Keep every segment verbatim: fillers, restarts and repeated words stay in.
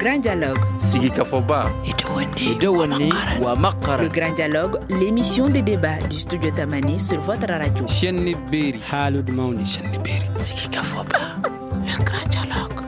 Grand Dialogue. Sigikafɔba. Le Grand Dialogue, l'émission de débat du Studio Tamani sur votre radio. Chaîne Beri. Haalude mawni. Sigikafɔba. Le Grand Dialogue.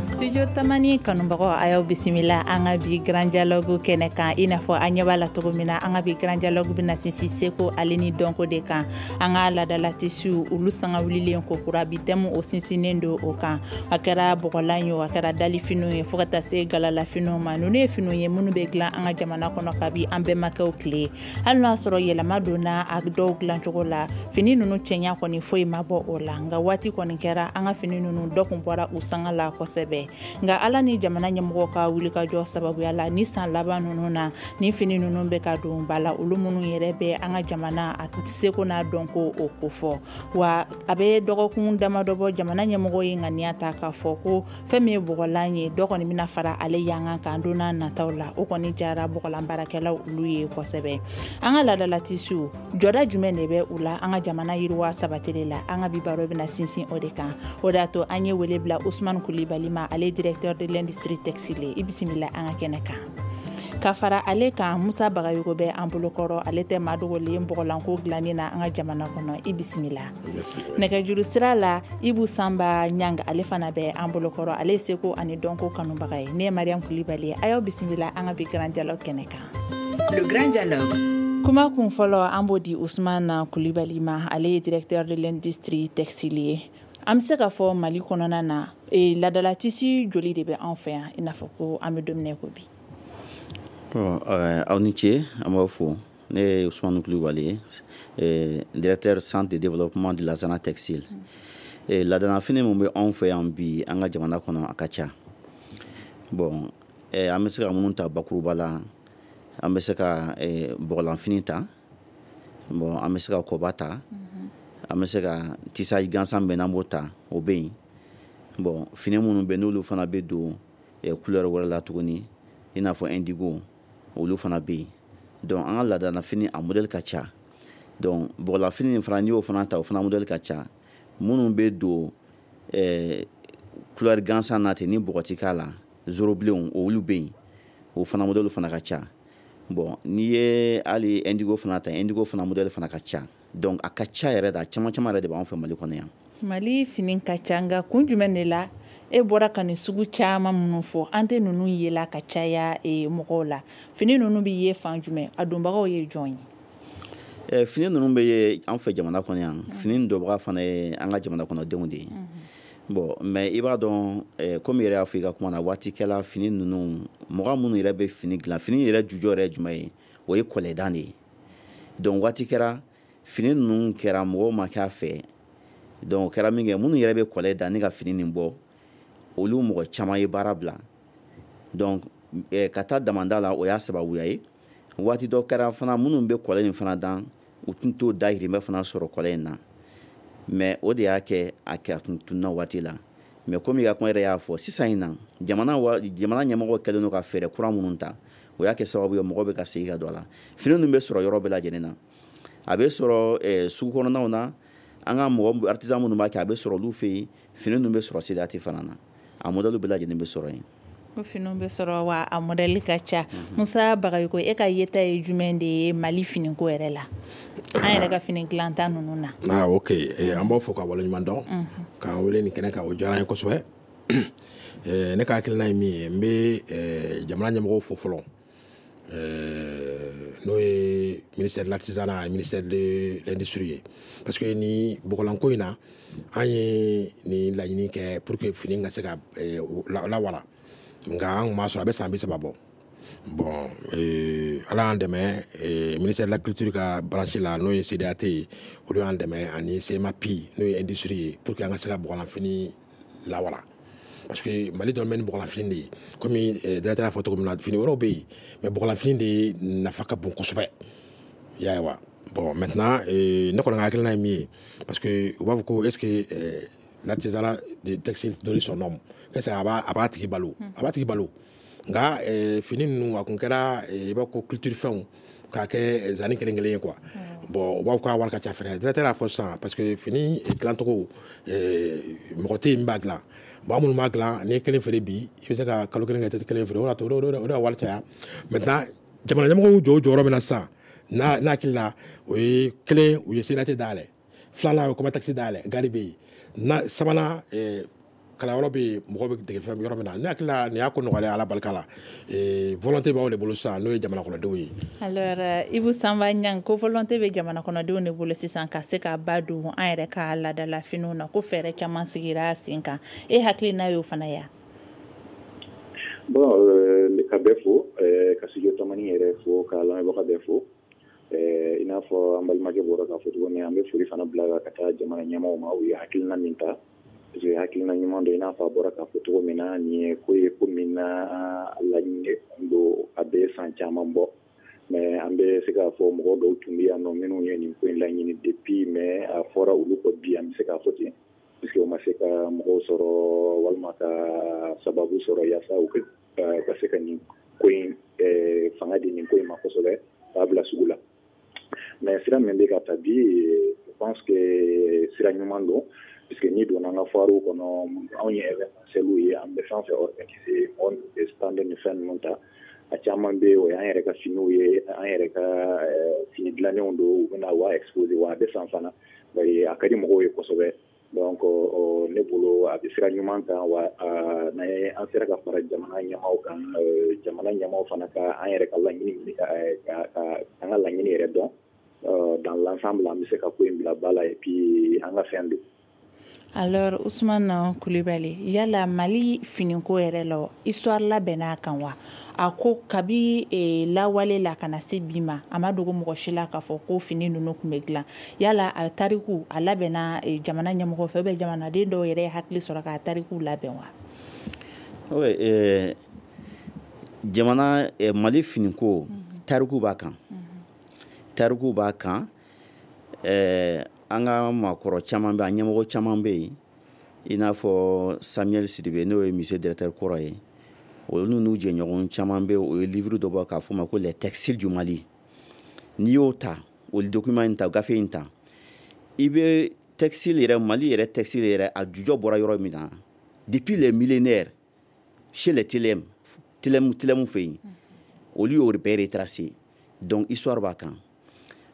Studio Tamani kanubagaw, a y'aw bisimila an ka bi Grand Dialogue kɛnɛ kan. I n'a fɔ an ɲɛ b'a la cogo min na, an ka bi Grand Dialogue bɛna sinsin seko ale ni dɔnko de kan, an ka ladala tissu, olu sanga wulilen ko kura. Bi thème, o sinsinnen don o kan. A kɛra bɔgɔlan ye o, a kɛra dalifiniw ye, fo ka taa se galalafiniw ma. Ninnu ye finiw ye minnu bɛ dilan an ka jamana kɔnɔ kabi an bɛnbakɛw tile. Hali n'o y'a sɔrɔ yɛlɛma donna a dɔw dilancogo la, fini ninnu cɛɲa kɔni, foyi ma bɔ o la. Nka waati kɔni kɛra, an ka fini ninnu dɔ kun bɔra u sanga la kosɛbɛ. Nka Ala ni jamana ɲɛmɔgɔw ka wulikajɔ sababuya la, ni san laban ninnu na, ni fini ninnu bɛ ka don ba la, olu minnu yɛrɛ bɛ an ka jamana a seko n'a dɔnko o kofɔ. Wa a bɛ dɔgɔkun damadɔ bɔ, jamana ɲɛmɔgɔ ye ŋaniya ta k'a fɔ ko fɛn min ye bɔgɔlan ye, dɔ kɔni bɛna fara ale yankan kan don n'a nataw la. O kɔni jara bɔgɔlan baarakɛlaw olu ye kosɛbɛ. An ka ladala tissu, jɔda jumɛn de bɛ u la an ka jamana yiriwa sabatili la? An ka bi baro bɛna sinsin o de kan. O de y'a to an ye wele bila Usumani Kulibali ma, ale directeur de l'industrie textile. I bisimila an ka kɛnɛ kan. Ka fara ale kan, Musa Bagayogo bɛ an bolokɔrɔ. Ale tɛ maa dogolen bɔgɔlanko dilanni na an ka jamana kɔnɔ. I bisimila. Nɛgɛjuru sira la, Ibu Sanba Ɲanga, ale fana bɛ an bolokɔrɔ. Ale ye seko ani dɔnko kanubaga ye. Ne ye Mariam Kulibali ye. A y'aw bisimila an ka bi Grand Dialogue kɛnɛ kan. Le Grand Dialogue. Kuma kun fɔlɔ, an b'o di Usumana Kulibali ma. Ale ye directeur de l'industrie textile ye. An bɛ se k'a fɔ Mali kɔnɔna na, e, ladala tissu joli de bɛ an fɛ yan, i n'a fɔ ko an bɛ don min na i ko bi? Bon, euh, aw ni ce, an b'aw fo. Ne ye Ousmane Kulibali ye, directeur centre de développement de l'artisanat textile. mm. Ladala fini mun bɛ anw fɛ yan bi an ka jamana kɔnɔ, a ka ca. Bon, eh, an bɛ se ka minnu ta bakuruba la, an bɛ se ka eh, bɔgɔlanfini ta. Bon, an bɛ se ka kɔba ta. mm -hmm. An bɛ se ka tissage gansan bɛ n'an b'o ta, o bɛ yen. Bon, fini minnu bɛ, n'olu fana bɛ don eh, couleur wɛrɛ la tuguni, i n'a fɔ indigo, olu fana bɛ yen. Donc an ka laadala fini, a modèle ka ca. Donc bɔgɔlafini nin fana, n'i y'o fana ta, o fana modèle ka ca. Minnu bɛ don eh, couleur gansan na ten ni bɔgɔ ti k'a la, zoro bilenw, olu bɛ yen, o fana modèle fana ka ca. Bon, n'i ye hali indigo fana ta, indigo fana modèle fana ka ca. Donc a ka ca yɛrɛ de, a caman caman yɛrɛ de b'an fɛ Mali kɔnɔ yan. Mali fini ka ca, nka kun jumɛn de la, e bɔra ka nin sugu caman minnu fɔ, an tɛ ninnu yela ka caya e, mɔgɔw la? Fini ninnu bɛ ye fan jumɛn? A donbagaw ye jɔn ye? eh, fini ninnu bɛ ye an fɛ jamana kɔnɔ yan. Fini dɔbaga fana ye an ka jamana kɔnɔdenw de ye. Bon, mais i b'a dɔn, eh, komi yɛrɛ y'a fɔ i ka kuma na, waati kɛla fini ninnu, mɔgɔ minnu yɛrɛ bɛ fini dilan, fini yɛrɛ jujɔ yɛrɛ ye jumɛn ye? O ye kɔlɛdan de ye. Donc waati kɛra, fini ninnu kɛra mɔgɔw ma kɛ a fɛ. Donc o kɛra min kɛ, minnu yɛrɛ bɛ kɔlɛ da ni ka fini nin bɔ, olu mɔgɔ caman ye baara bila. Donc eh, ka taa damanda la, o y'a sababuya ye. Waati dɔ kɛra fana, minnu bɛ kɔlɛ nin fana dan, u tun t'o dahirimɛ fana sɔrɔ kɔlɛ in na. Mais o de y'a kɛ a kɛ a tun tununa waati la. Mais komi i ka kuma yɛrɛ y'a fɔ, sisan in na, jamana wa jamana ɲɛmɔgɔ kɛlen don ka fɛɛrɛ kura minnu ta, o y'a kɛ sababu ye mɔgɔ bɛ ka segin ka don a la. Fini ninnu bɛ sɔrɔ yɔrɔ bɛɛ lajɛlen na. A bɛ sɔrɔ eh, sugu kɔnɔnaw na, an ka mɔgɔ artisan minnu b'a kɛ, a bɛ sɔrɔ olu fɛ yen. Fini ninnu bɛ sɔrɔ C D A T fana na. A modèle bɛɛ lajɛlen bɛ sɔrɔ yen. Ko finiw bɛ sɔrɔ, wa a modèle ka ca. Musa Bagayoko, e ka yeta ye jumɛn de ye Mali finiko yɛrɛ la, an yɛrɛ ka fini dilanta ninnu na? Ah, ok. eh, an b'aw fo ka waleɲuman dɔn k'an wele nin kɛnɛ kan, o diyara an ye kosɛbɛ. eh, ne ka hakilina ye min ye, n bɛ eh, jamana ɲɛmɔgɔw fo fɔlɔ, eh, n'o ye ministère de l'artisanat et ministère de l'industrie ye, parce que ni bɔgɔlanko in na, an ye nin laɲini kɛ pour que fini ka se ka eh, lawara, nka an kun m'a sɔrɔ. A bɛ san bi saba bɔ. Bon, euh, Ala y'an dɛmɛ, euh, ministère de la culture ka branche la, n'o ye C D A T ye, olu y'an dɛmɛ, ani C M A P, n'o ye industrie ye, pour que an ka se ka bɔgɔlanfini lawara, parce que Mali dɔn bɛ ni bɔgɔlanfini de ye. Komi euh, directeur y'a fɔ cogo min na, fini wɛrɛw bɛ yen, mais bɔgɔlanfini de nafa ka bon kosɛbɛ, i y'a ye wa. Bon, maintenant, euh, ne kɔni ka hakilina ye min ye, parce que u b'a fɔ ko est ce que euh, l'artisanat de textile nourrit son homme? Qu'est-ce que a b'a a b'a tigi balo? A b'a tigi balo. Nka eh, fini ninnu, a kun kɛra eh, i b'a ko culture fɛnw k'a kɛ zani kelen kelen ye quoi. Bon, u b'a fɔ k'a wari ka ca fɛnɛ. Directeur y'a fɔ sisan, parce que fini dilancogo, mɔgɔ tɛ yen min b'a dilan. Bon, an minnu b'a dilan, n'i ye kelen feere bi, i bɛ se ka kalo kelen kɛ i tɛ kelen feere. O de y'a to o de y'a wari caya. Maintenant, jamana ɲɛmɔgɔw y'u jɔ u jɔyɔrɔ min na sisan, n'a n'a hakili la, o ye kelen, u ye C D A T dayɛlɛ, filanan, o ye Comatex dayɛlɛ, gari bɛ yen, na sabanan, kalanyɔrɔ bɛ yen, mɔgɔw bɛ dege fɛn yɔrɔ min na. Ne hakili la, nin y'a ko nɔgɔyalen, Ala barika la. Volonté b'aw de bolo sisan, n'o ye jamana kɔnɔdenw ye. Alors, Ibou Samba Niang, ko volonté bɛ jamana kɔnɔdenw de bolo sisan ka se ka ba don an yɛrɛ ka laadala finiw na, ko fɛɛrɛ caman sigira sen kan, e hakilina y'o fana ya? Bon, euh, ka bɛɛ fo, ka Studio Tamani yɛrɛ fo, ka lamɛnbaga bɛɛ fo. I n'a fɔ an balimakɛ bɔra k'a fɔ cogo min, an bɛ foli fana bila ka taa jamana ɲɛmaaw ma, u ye hakilina min ta, parce que hakilina ɲuman don. I n'a fɔ a bɔra k'a fɔ cogo min na, nin ye ko ye ko min na laɲini don, a bɛ san caman bɔ, mais an bɛ se k'a fɔ mɔgɔ dɔw tun bɛ yan nɔ minnu ye nin ko in laɲini depuis, mais a fɔra olu kɔ bi, an bɛ se k'a fɔ ten, puisque u ma se ka mɔgɔw sɔrɔ walima ka sababu sɔrɔ yaasa u ka se ka nin ko in fanga di nin ko in ma kosɛbɛ k'a bila sugu la. Mais sira min bɛ ka ta bi, je pense que sira ɲuman don, puisque n'i donna an ka foire kɔnɔ, anw ye événementiel ye, an bɛ fɛn fɛn organiser, mɔgɔ minnu bɛ stand ni fɛn ninnu ta, a caman bɛ yen, o y'an yɛrɛ ka finiw ye, an yɛrɛ ka fini dilannenw don, u bɛna wa exposer, wa a bɛ san fana, bari a ka di mɔgɔw ye kosɛbɛ. Donc ne bolo, a bɛ sira ɲuman kan, wa n'an ye an sera ka fara jamana ɲɛmaaw kan, jamana ɲɛmaaw fana ka an yɛrɛ ka laɲini, ka an ka laɲini yɛrɛ dɔn dans l'ensemble, an bɛ se ka ko in bila ba la, et puis an ka fɛn don. Alors, Ousmane Coulibaly, yala Mali finiko yɛrɛ la, histoire labɛnna kan wa? A ko kabi e, lawale la ka na se bi ma, a ma dogo mɔgɔ si la k'a fɔ ko fini ninnu tun bɛ dilan. Yala a tariku a labɛnna e, jamana ɲɛmɔgɔ fɛ ou bien jamanaden dɔw yɛrɛ ye hakili sɔrɔ k'a tariku labɛn wa? Oui, eh, jamana eh, Mali finiko tariku b'a kan, tariku b'a kan. eh, an ka maakɔrɔ caman bɛ, an ɲɛmɔgɔ caman bɛ yen, i n'a fɔ Samuel Sidibe, n'o ye musée directeur kɔrɔ ye, olu n'u jɛɲɔgɔn caman bɛ, o ye livre dɔ bɔ k'a fɔ o ma ko Les textiles du Mali. N'i y'o ta, o document in ta, gafe in ta, i bɛ textile yɛrɛ, Mali yɛrɛ textile yɛrɛ, a jujɔ bɔra yɔrɔ min na, depuis les millénaires, chez les Télém, Télém, Télém fɛ yen, olu y'o bɛɛ retracé. Donc histoire b'a kan.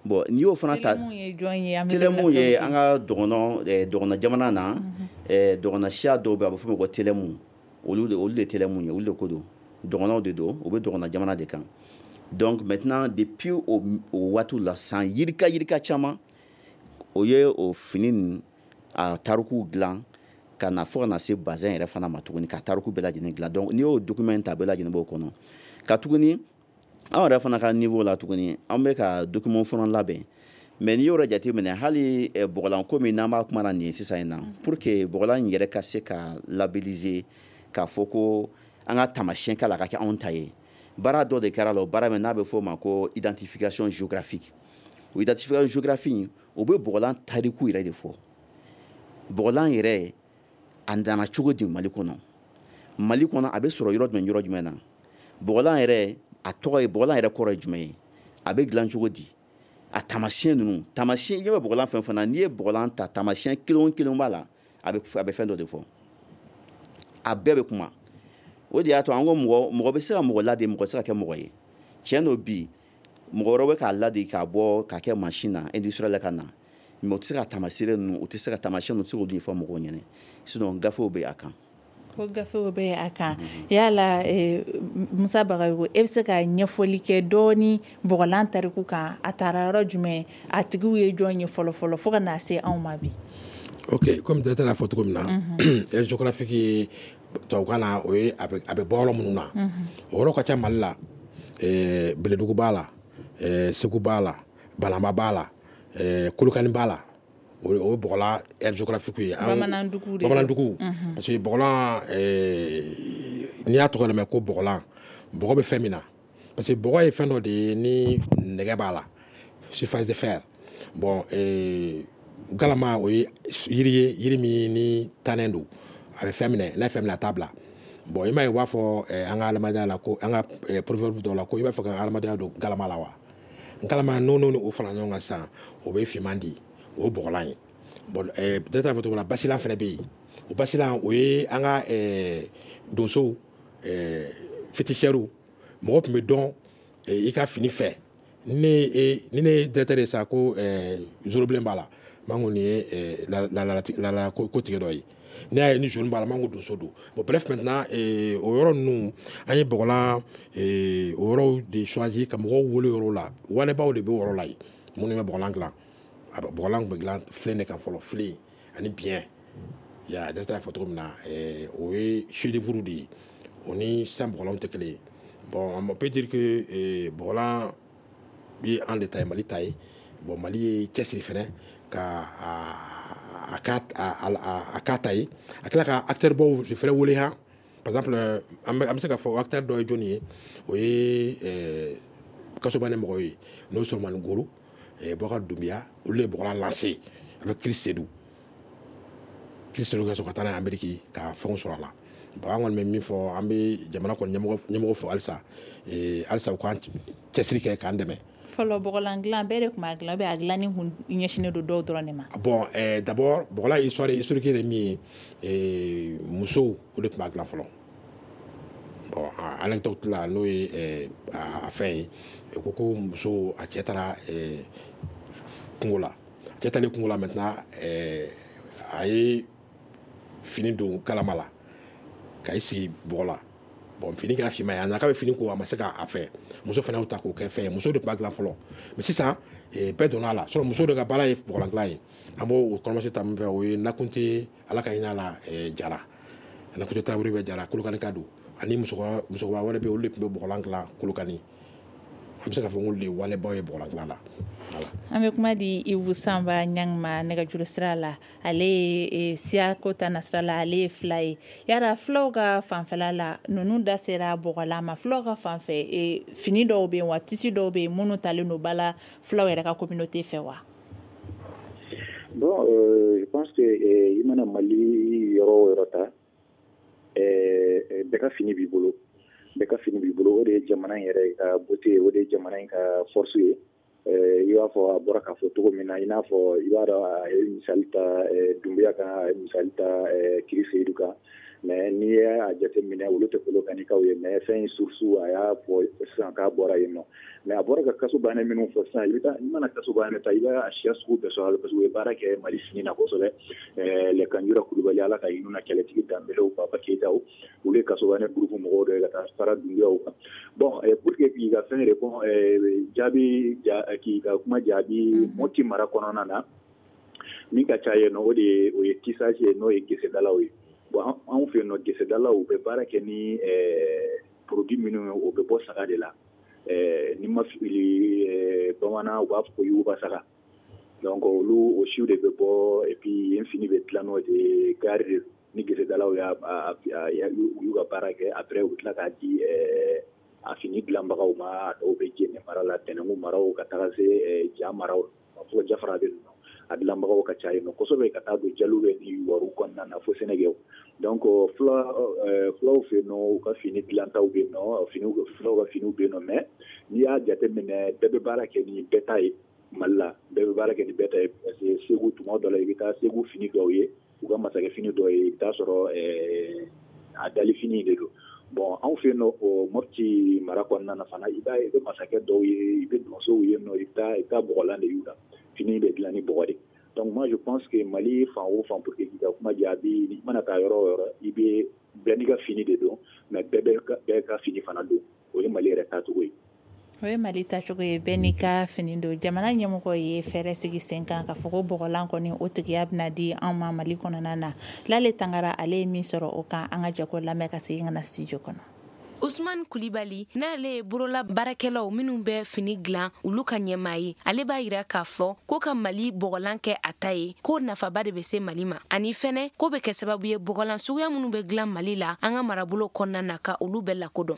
Bon, n'i y'o fana ta, Télém ye an ka dɔgɔnɔ dɔgɔnɔ jamana na, dɔgɔnɔ siya dɔw bɛ, a bɛ fɔ o ma ko Télém, olu de olu de Télém ye, olu de ko don, dɔgɔnɔw de don, u bɛ dɔgɔnɔ jamana de kan. Donc maintenant, depuis o o waatiw la, san yirika yirika caman, o ye o fini nin a tarikuw dilan ka na fo ka na se bazin yɛrɛ fana ma tuguni, ka tariku bɛɛ lajɛlen dilan. Donc n'i y'o document ta, bɛɛ lajɛlen b'o kɔnɔ. Ka tuguni, anw yɛrɛ fana ka niveau la tuguni, an bɛ ka document fana labɛn. Mais n'i y'o yɛrɛ jateminɛ, hali bɔgɔlanko min n'an b'a kuma na nin ye sisan in na, pour que bɔgɔlan in yɛrɛ ka se ka labelliser, k'a fɔ ko an ka taamasiyɛn k'a la ka kɛ anw ta ye, baara dɔ de kɛra la, o baara min n'a bɛ fɔ o ma ko identification géographique. O identification géographique, o bɛ bɔgɔlan tariku yɛrɛ de fɔ, bɔgɔlan yɛrɛ a nana cogo di Mali kɔnɔ, Mali kɔnɔ a bɛ sɔrɔ yɔrɔ jumɛn, yɔrɔ jumɛn na, bɔgɔlan yɛrɛ a tɔgɔ ye, bɔgɔlan yɛrɛ kɔrɔ ye jumɛn ye, a bɛ dilan cogo di, a taamasiyɛn ninnu, taamasiyɛn i ɲɛ bɛ bɔgɔlan fɛn fɛn na, n'i ye bɔgɔlan ta, taamasiyɛn kelen o kelen b'a la, a bɛ a bɛ fɛn dɔ de fɔ, a bɛɛ bɛ kuma. O de y'a to an ko mɔgɔ mɔgɔ bɛ se ka mɔgɔ ladi, mɔgɔ tɛ se ka kɛ mɔgɔ ye. Tiɲɛ don, bi mɔgɔ wɛrɛ bɛ k'a ladi k'a bɔ k'a kɛ mansin na industriel ka na, mais u tɛ se ka taamasiyɛn ninnu, u tɛ se ka taamasiyɛn ninnu, u tɛ se k'olu ɲɛfɔ mɔgɔw ɲɛna, sinon gafew bɛ a kan. Ko gafew bɛ a kan. Yala eh, Musa Bagayogo, e bɛ se ka ɲɛfɔli kɛ dɔɔni bɔgɔlan tariku kan? A taara yɔrɔ jumɛn, a tigiw ye jɔn ye fɔlɔ fɔlɔ, fo ka na se anw ma bi? Ok, comme directeur y'a fɔ cogo min na, aire géographique ye tubabukan na, o ye a bɛ a bɛ bɔ yɔrɔ minnu na, o yɔrɔ ka ca Mali la. ɛɛ Bɛlɛdugu b'a la, ɛɛ Segu b'a la, Banamba b'a la, ɛɛ Kolokani b'a la. O ye bɔgɔlan aire géographique ye. Bamanandugu de. Bamanandugu, parce que bɔgɔlan, ɛɛ n'i y'a tɔgɔ yɛrɛ mɛn ko bɔgɔlan, bɔgɔ bɛ fɛn min na, parce que bɔgɔ ye fɛn dɔ de ye ni nɛgɛ b'a la, surface de fer. Bon, ɛɛ galama, o ye yiri ye, yiri min ni tannen don, a bɛ fɛn minɛ, n'a ye fɛn minɛ, a t'a bila. Bon, i m'a ye, u b'a fɔ an ka adamadenya la ko an ka proverbe dɔw la ko i b'a fɛ ka adamadenya don galama la wa. Nkalama n'o n'o o fara ɲɔgɔn kan sisan, o bɛ finman di, o ye bɔgɔlan ye. Bon, peut-être a fɔ cogo min na, basilan fana bɛ yen. O basilan, o ye an ka donsow, féticheurs, mɔgɔ tun bɛ dɔn i ka fini fɛ. Ni ne ye directeur ye sisan ko zorobilen b'a la, n b'a ko nin ye laadala kotigɛ dɔ ye. N'i y'a ye ni jaune b'a la, n b'a ko donso don. Bon, bref, maintenant, o yɔrɔ ninnu, an ye bɔgɔlan o yɔrɔw de choisi ka mɔgɔw wele yɔrɔ la. Wanɛbaw de bɛ o yɔrɔ la yen, minnu bɛ bɔgɔlan dilan. Bɔgɔlan tun bɛ dilan filen de kan fɔlɔ, filen ani biyɛn. Ya directeur y'a fɔ cogo min na, o ye chef d'œuvre de ye, o ni sisan bɔgɔlanw tɛ kelen ye. Bon, on peut dire que bɔgɔlan ye an de ta ye, Mali ta ye. Bon, Mali ye cɛsiri fɛnɛ ka a a k'a ta ye, a tila ka acteur baw de fɛnɛ wele han. Par exemple, an bɛ se k'a fɔ acteur dɔ ye jɔnni ye? O ye Kasobane mɔgɔw ye, n'o ye Solomani Goro, Boubacar Doumbia, olu de ye bɔgɔlan lancé avec Chris Seydou. Chris Seydou ka sɔrɔ ka taa n'a ye Amérique ka fɛnw sɔrɔ a la. Bon, an kɔni bɛ min fɔ, an bɛ jamana kɔni ɲɛmɔgɔ ɲɛmɔgɔ fo halisa, halisa u k'an cɛsiri kɛ k'an dɛmɛ. Fɔlɔ bɔgɔlan dilan, bɛɛ de tun b'a dilan, a dilanni kun ɲɛsinnen don dɔw dɔrɔn de ma? Bon, d'abord, bɔgɔlan histoire historique ye min ye, musow, o de tun b'a dilan fɔlɔ. Bon, anecdote la, n'o ye a fɛn ye, ko ko muso a cɛ taara kungo la, a cɛ taalen kungo la, maintenant a ye fini don kalama la ka i sigi bɔgɔ la. Bon, fini kɛra finman ye, a nana k'a bɛ fini ko, a ma se k'a fɛ. Muso fana y'o ta k'o kɛ fɛn ye, muso de tun b'a dilan fɔlɔ. Mais sisan bɛɛ donna a la sɔrɔ, muso de ka baara ye bɔgɔlan dilan ye. An b'o kɔnɔmasi ta min fɛ, o ye Nakunte, Ala ka hinɛ a la, Jara Nakunte Tarawele bɛ Jara Kolokani ka don, ani musokɔrɔba musokɔrɔba wɛrɛ bɛ yen, olu de tun bɛ bɔgɔlan dilan Kolokani. An bɛ se k'a fɔ k'olu de ye wanɛbaw ye bɔgɔlan dilan na. An bɛ kuma di Ibu Sanba Ɲang ma nɛgɛjuru sira la. Ale ye siyako ta nasira la, ale ye fila ye. Yala filaw ka fanfɛla la, ninnu da sera bɔgɔlan ma, filaw ka fanfɛ fini dɔw bɛ yen wa, tissu dɔw bɛ yen minnu talen don ba la filaw yɛrɛ ka communauté fɛ wa? Bon, euh, je pense que i mana Mali yɔrɔ o yɔrɔ ta, bɛɛ ka fini b'i bolo, bɛɛ ka fini b'i bolo. O de ye jamana in yɛrɛ ka beauté ye, o de ye jamana in ka force ye. I b'a fɔ a bɔra k'a fɔ cogo min na, i n'a fɔ i b'a dɔn, a ye misali ta Dunbuya kan, a ye misali ta Kiri Seyidu kan. Mais n'i y'a jateminɛ, olu tɛ Kolokanikaw ye, mais fɛn in source, a y'a fɔ sisan k'a bɔra yen nɔ. Mais a bɔra ka kasobanɛ minnu fɔ sisan, i bɛ taa, i mana kasobanɛ ta, i b'a siya sugu bɛɛ sɔrɔ a la, parce que u ye baara kɛ Mali fini na kosɛbɛ. Les Kanjura Kulubali, Ala ka hinɛ na, kɛlɛtigi Danbelew, Papa Keyitaw, olu ye kasobanɛ groupe mɔgɔw dɔ ye ka taa fara Dunbuyaw kan. Bon, pour que k'i ka fɛn répond, jaabi, k'i ka kuma jaabi, Mopti mara kɔnɔna na, min ka ca yen nɔ, o de ye o ye tissage ye, n'o ye gesedalaw ye. Bon, anw fɛ yen nɔ, gesedalaw, u bɛ baara kɛ ni produit minnu ye, o bɛ bɔ saga de la. Ni ma fili, bamanan u b'a fɔ ko yuguba saga. Donc olu o siw de bɛ bɔ, et puis yen fini bɛ dilan n'o de ye, gari de ni gesedalaw y'a u y'u ka baara kɛ, après u bɛ tila k'a di a fini dilanbagaw ma. A dɔw bɛ Jɛnɛ mara la, Tɛnɛnku maraw, ka taga se Ja maraw, fo Jafara bɛ ninnu, a dilanbagaw ka ca yen nɔ kosɛbɛ, ka taa don jaliw bɛ ni waru kɔnɔna na fo Sɛnɛgɛw. Donc fula fulaw fɛ yen nɔ, u ka fini dilantaw bɛ yen nɔ, finiw, fulaw ka finiw bɛ yen nɔ. Mais n'i y'a jateminɛ, bɛɛ bɛ baara kɛ ni bɛɛ ta ye Mali la, bɛɛ bɛ baara kɛ ni bɛɛ ta ye, parce que Segu, tuma dɔ la, i bɛ taa Segu fini dɔw ye, u ka masakɛ fini dɔw ye, i bɛ taa sɔrɔ a dali fini de don. Bon, anw fɛ yen nɔ, o Mopti mara kɔnɔna na fana, i b'a ye, i bɛ masakɛ dɔw ye, i bɛ donsow ye nɔ, i bɛ taa i bɛ taa bɔgɔlan de y'u la, fini bɛ dilan ni bɔgɔ de. Donc moi je pense que Mali fan o fan, pour que k'i ka kuma jaabi, i mana taa yɔrɔ o yɔrɔ, i bɛ bɛɛ n'i ka fini de don, mais bɛɛ bɛ bɛɛ ka fini fana don. O ye Mali yɛrɛ taacogo ye. O ye Mali tacogo ye, bɛɛ n'i ka fini don. Jamana ɲɛmɔgɔ ye fɛɛrɛ sigi sen kan ka fɔ ko bɔgɔlan kɔni, o tigiya bɛna di anw ma Mali kɔnɔna na. Lale Tangara, ale ye min sɔrɔ o kan, an ka jɛ k'o lamɛn ka segin ka na studio kɔnɔ. Usman Kulibali, n'ale ye borola baarakɛlaw minnu bɛ fini dilan olu ka ɲɛmaa ye, ale b'a yira k'a fɔ ko ka Mali bɔgɔlan kɛ a ta ye, ko nafaba de bɛ se Mali ma, ani fɛnɛ ko bɛ kɛ sababu ye bɔgɔlan suguya minnu bɛ dilan Mali la an ka marabolo kɔnɔna na, ka olu bɛɛ lakodɔn.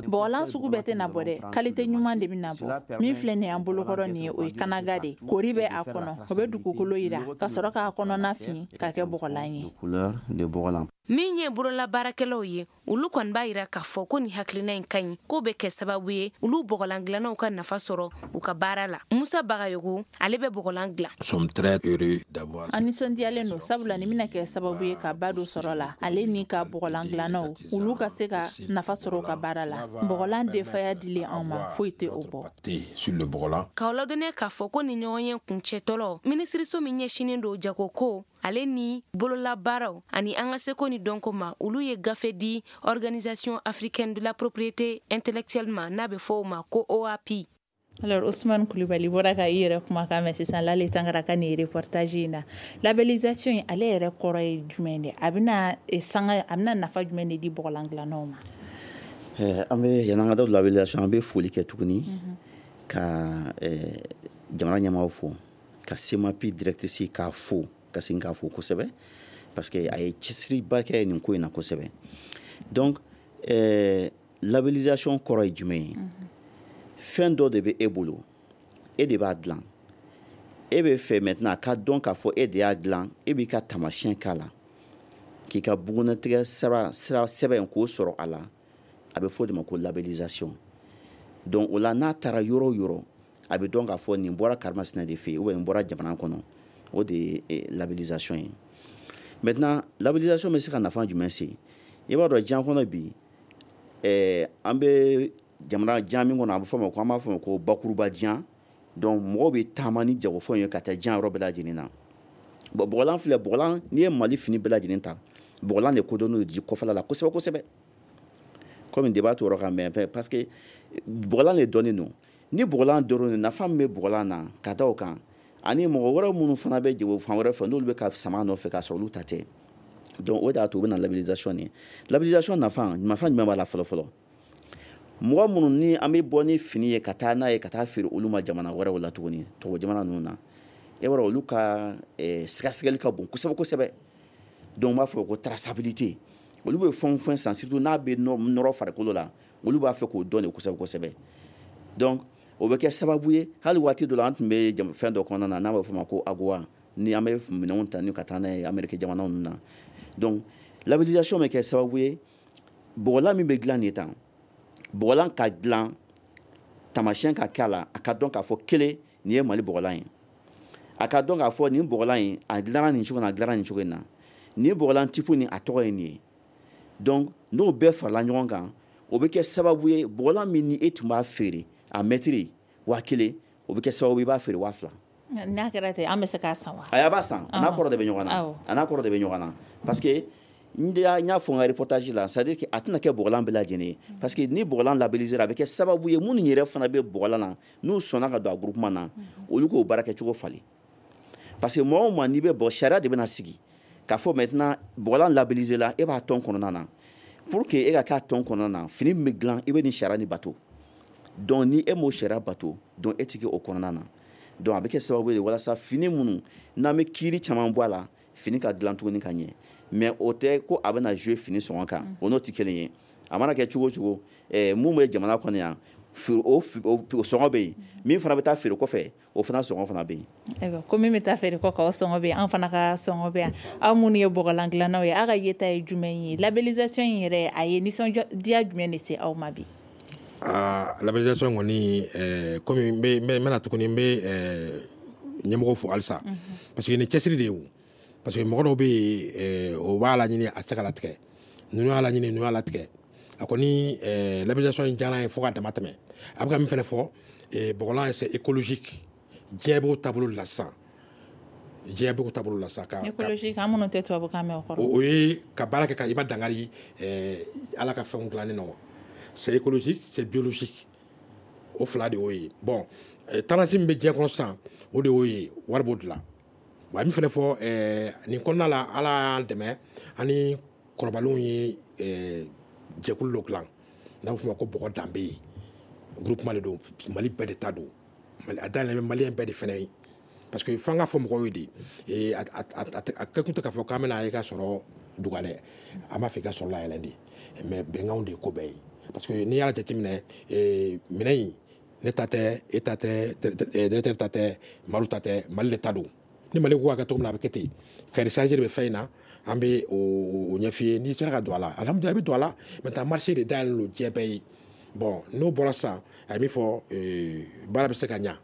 Bɔgɔlan sugu bɛɛ tɛ na bɔ dɛ, qualité ɲuman de bɛ na bɔ. Min filɛ nin ye an bolokɔrɔ nin ye, o ye kanaga de, kori bɛ a kɔnɔ, o bɛ dugukolo yira ka sɔrɔ k'a kɔnɔna fin k'a kɛ bɔgɔlan ye. Min ye borola baarakɛlaw ye, olu kɔni b'a yira k'a k'a fɔ ko nin hakilina in ka ɲi, k'o bɛ kɛ sababu ye olu bɔgɔlan dilannaw ka nafa sɔrɔ u ka baara la. Musa Bagayogo, ale bɛ bɔgɔlan dilan. An nisɔndiyalen don, sabula nin bɛna kɛ sababu ye ka ba don sɔrɔ la, ale ni ka bɔgɔlan dilannaw, olu ka se ka nafa sɔrɔ u ka baara la. Bɔgɔlan denfaya dilen anw ma, foyi tɛ o bɔ. K'aw ladɔnniya k'a fɔ ko nin ɲɔgɔn ye kuncɛtɔlɔ, minisiriso min ɲɛsinnen don jagoko ale ni bololabaaraw ani an ka seko ni dɔnko ma, olu ye gafe di Organisation africaine de la propriété intellectuelle ma, n'a bɛ fɔ o ma ko O A P I. Alors, Ousmane Coulibaly bɔra ka i yɛrɛ kumakan mɛn sisan Lale Tangara ka nin reportage in na. Labellisation in, ale yɛrɛ kɔrɔ ye jumɛn de? A bɛna sanga, a bɛna nafa jumɛn de di bɔgɔlan dilannaw ma? An bɛ yan'an ka da labellisation, an bɛ foli kɛ tuguni ka jamana ɲɛmaaw fo, ka SEMAPI directrice k'a fo, ka segin k'a fo kosɛbɛ, parce que a ye cɛsiriba kɛ nin ko in na kosɛbɛ. Donc euh, labellisation kɔrɔ ye jumɛn ye? Fɛn dɔ de bɛ e bolo, e de b'a dilan, e bɛ fɛ maintenant a ka dɔn k'a fɔ e de y'a dilan, e b'i ka taamasiyɛn k'a la, k'i ka bugunnatigɛ sira sira sɛbɛn k'o sɔrɔ a la. A bɛ fɔ o de ma ko labellisation. Donc o la, n'a taara yɔrɔ o yɔrɔ, a bɛ dɔn k'a fɔ nin bɔra karimasina de fɛ yen ou bien nin bɔra jamana kɔnɔ. O de ye labellisation ye. Maintenant, labellisation bɛ se ka nafa jumɛn se? I b'a dɔn, diɲɛ kɔnɔ bi, ɛɛ an bɛ jamana diɲɛ min kɔnɔ, a bɛ fɔ ma ko, an b'a fɔ ma ko bakuruba diɲɛ. Donc mɔgɔw bɛ taama ni jagofɛnw ye ka taa diɲɛ yɔrɔ bɛɛ lajɛlen na. Bon, bɔgɔlan filɛ, bɔgɔlan, n'i ye Mali fini bɛɛ lajɛlen ta, bɔgɔlan de kodɔnnen don ji kɔfɛla la kosɛbɛ kosɛbɛ. Komi débat t'o yɔrɔ kan, mais parce que bɔgɔlan de dɔnnen don. Ni bɔgɔlan dɔnnen don, nafa min bɛ bɔgɔlan na ka da o kan, ani mɔgɔ wɛrɛ minnu fana bɛ jago fan wɛrɛ fɛ, n'olu bɛ ka sama nɔfɛ k'a sɔrɔ olu ta tɛ. Donc o de y'a to u bɛ na labellisation nin. Labellisation nafa nafa jumɛn b'a la? Fɔlɔ fɔlɔ, mɔgɔ minnu ni an bɛ bɔ ni fini ye ka taa n'a ye ka taa feere olu ma jamana wɛrɛw la tuguni, tubabu jamana ninnu na, e b'a dɔn, olu ka sɛgɛsɛgɛli ka bon kosɛbɛ kosɛbɛ. Donc u b'a fɔ ko traçabilité. Olu bɛ fɛn o fɛn san, surtout n'a bɛ nɔrɔ farikolo la, olu b'a fɛ k'o dɔn de kosɛbɛ kosɛbɛ. Donc o bɛ kɛ sababu ye, hali waati dɔ la, an tun bɛ fɛn dɔ kɔnɔna na n'a bɛ fɔ o ma ko AGOA, ni an bɛ minɛnw ta ni ka taa n'a ye Amérique jamanaw ninnu na. Donc labellisation bɛ kɛ sababu ye, bɔgɔlan min bɛ dilan nin tan, bɔgɔlan ka dilan, taamasiyɛn ka kɛ a la, a ka dɔn k'a fɔ kelen nin ye Mali bɔgɔlan ye, a ka dɔn k'a fɔ nin bɔgɔlan in, a dilanna nin cogo in na, a dilanna nin cogo in na, nin bɔgɔlan type nin, a tɔgɔ ye nin ye. Donc n'o bɛɛ farala ɲɔgɔn kan, o bɛ kɛ sababu ye, bɔgɔlan min ni e tun b'a feere a mɛtiri waa kelen, o bɛ kɛ sababu ye i b'a feere waa fila. N'a kɛra ten, an bɛ se k'a san wa? A b'a san, a n'a kɔrɔ de bɛ ɲɔgɔn na, a n'a kɔrɔ de bɛ ɲɔgɔn na, parce que n y'a fɔ n ka reportage la, c'est à dire que a tɛna kɛ bɔgɔlan bɛɛ lajɛlen ye, parce que ni bɔgɔlan labellisé, a bɛ kɛ sababu ye, minnu yɛrɛ fana bɛ bɔgɔlan na, n'u sɔnna ka don a groupement na, olu k'o baara kɛcogo falen, parce que mɔgɔ o maa n'i bɛ bɔ, sariya de bɛna sigi k'a fɔ maintenant bɔgɔlan labellisé la, e b'a tɔn kɔnɔna na. Pour que e ka k'a tɔn kɔnɔna na, fini min bɛ dilan, i bɛ nin sariya nin bato. Donc ni e m'o sariya bato, donc e tɛ kɛ o kɔnɔna na. Donc a bɛ kɛ sababu ye walasa fini minnu n'an bɛ kiiri caman bɔ a la, fini ka dilan tuguni ka ɲɛ. Mais o tɛ ko a bɛna jouer fini sɔngɔ kan, o n'o tɛ kelen ye. A mana kɛ cogo o cogo, ɛɛ mun bɛ jamana kɔnɔ yan, o sɔngɔ bɛ yen, min fana bɛ taa feere kɔfɛ, o fana sɔngɔ fana bɛ yen. Ayiwa, ko min bɛ taa feere kɔfɛ, o sɔngɔ bɛ yen, an fana ka sɔngɔ bɛ yan. Aw minnu ye bɔgɔlan dilannaw ye, aw ka yeta ye jumɛn ye? Labellisation in yɛrɛ, a ye nisɔndiya jumɛn de se aw ma bi? Aa, labellisation kɔni, ɛɛ komi n bɛ n bɛna tuguni, n bɛ ɲɛmɔgɔw fo halisa, parce que nin cɛsiri de ye o, parce que mɔgɔ dɔw bɛ yen, o b'a laɲini, a tɛ se ka latigɛ, ninnu y'a laɲini, ninnu y'a latigɛ. A kɔni, labellisation in diyara n ye fo ka dama tɛmɛ. A bɛ ka min fana fɔ, bɔgɔlan, c'est écologique, diɲɛ b'o taabolo de la sisan, diɲɛ b'o taabolo la sisan. Ka écologique, an minnu tɛ tubabukan mɛn, o kɔrɔ? O ye ka baara kɛ ka i ma dankari Ala ka fɛnw dilannen na. C'est écologique, c'est biologique, o fila de y'o ye. Bon, tendance min bɛ diɲɛ kɔnɔ sisan, o de y'o ye, wari b'o de la. Wa min fana fɔ nin kɔnɔna la, Ala y'an dɛmɛ, ani kɔrɔbalenw ye jɛkulu dɔ dilan n'a bɛ f'o ma ko bɔgɔ danbe ye. Groupement de don, Mali bɛɛ de ta don, a dayɛlɛn bɛ maliyɛn bɛɛ de fana ye, parce que f'an ka fɔ mɔgɔw ye de, a kɛ kun tɛ k'a fɔ k'an bɛna e ka sɔrɔ duga dɛ, an b'a fɛ i ka sɔrɔ layɛlɛn de, mais bɛnkanw de ye ko bɛɛ ye, parce que n'i y'a jateminɛ, minɛn in, ne ta tɛ, e ta tɛ, directeur ta tɛ, Madu ta tɛ, Mali de ta don. Ni Mali ko k'a kɛ cogo min na, a bɛ kɛ ten. Cahier de charge de bɛ fɛn in na, an bɛ o ɲɛf'i ye. N'i sera ka don a la, alhamdulilah, i bɛ don a la. Maintenant, marché de dayɛlɛlen don diɲɛ bɛɛ ye. Bon, n'o bɔra sisan, a ye min fɔ, baara bɛ se ka ɲa,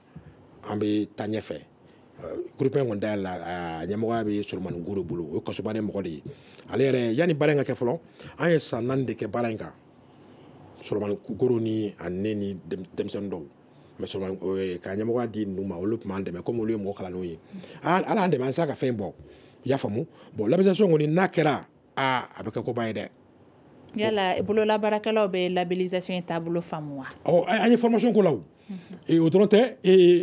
an bɛ taa ɲɛfɛ. Groupement kɔni dayɛlɛ, a ɲɛmɔgɔya bɛ Solomani Goro bolo, o ye kasobane mɔgɔ de ye. Ale yɛrɛ, yanni baara in ka kɛ fɔlɔ, an ye san naani de kɛ baara in kan, Solomani Goro ni ani ne ni denmisɛnnin dɔw. Mais Solomani ka ɲɛmɔgɔya di ninnu ma, olu tun b'an dɛmɛ komi olu ye mɔgɔ kalannenw ye. Ala y'an dɛmɛ, an sera ka fɛn bɔ, i y'a faamu. Bon, labellisation kɔni n'a kɛra, aa, a bɛ kɛ koba ye dɛ. Yala bololabaarakɛlaw bɛ labellisation in taabolo faamu wa? Ɔ, an ye formation ko la, o o dɔrɔn tɛ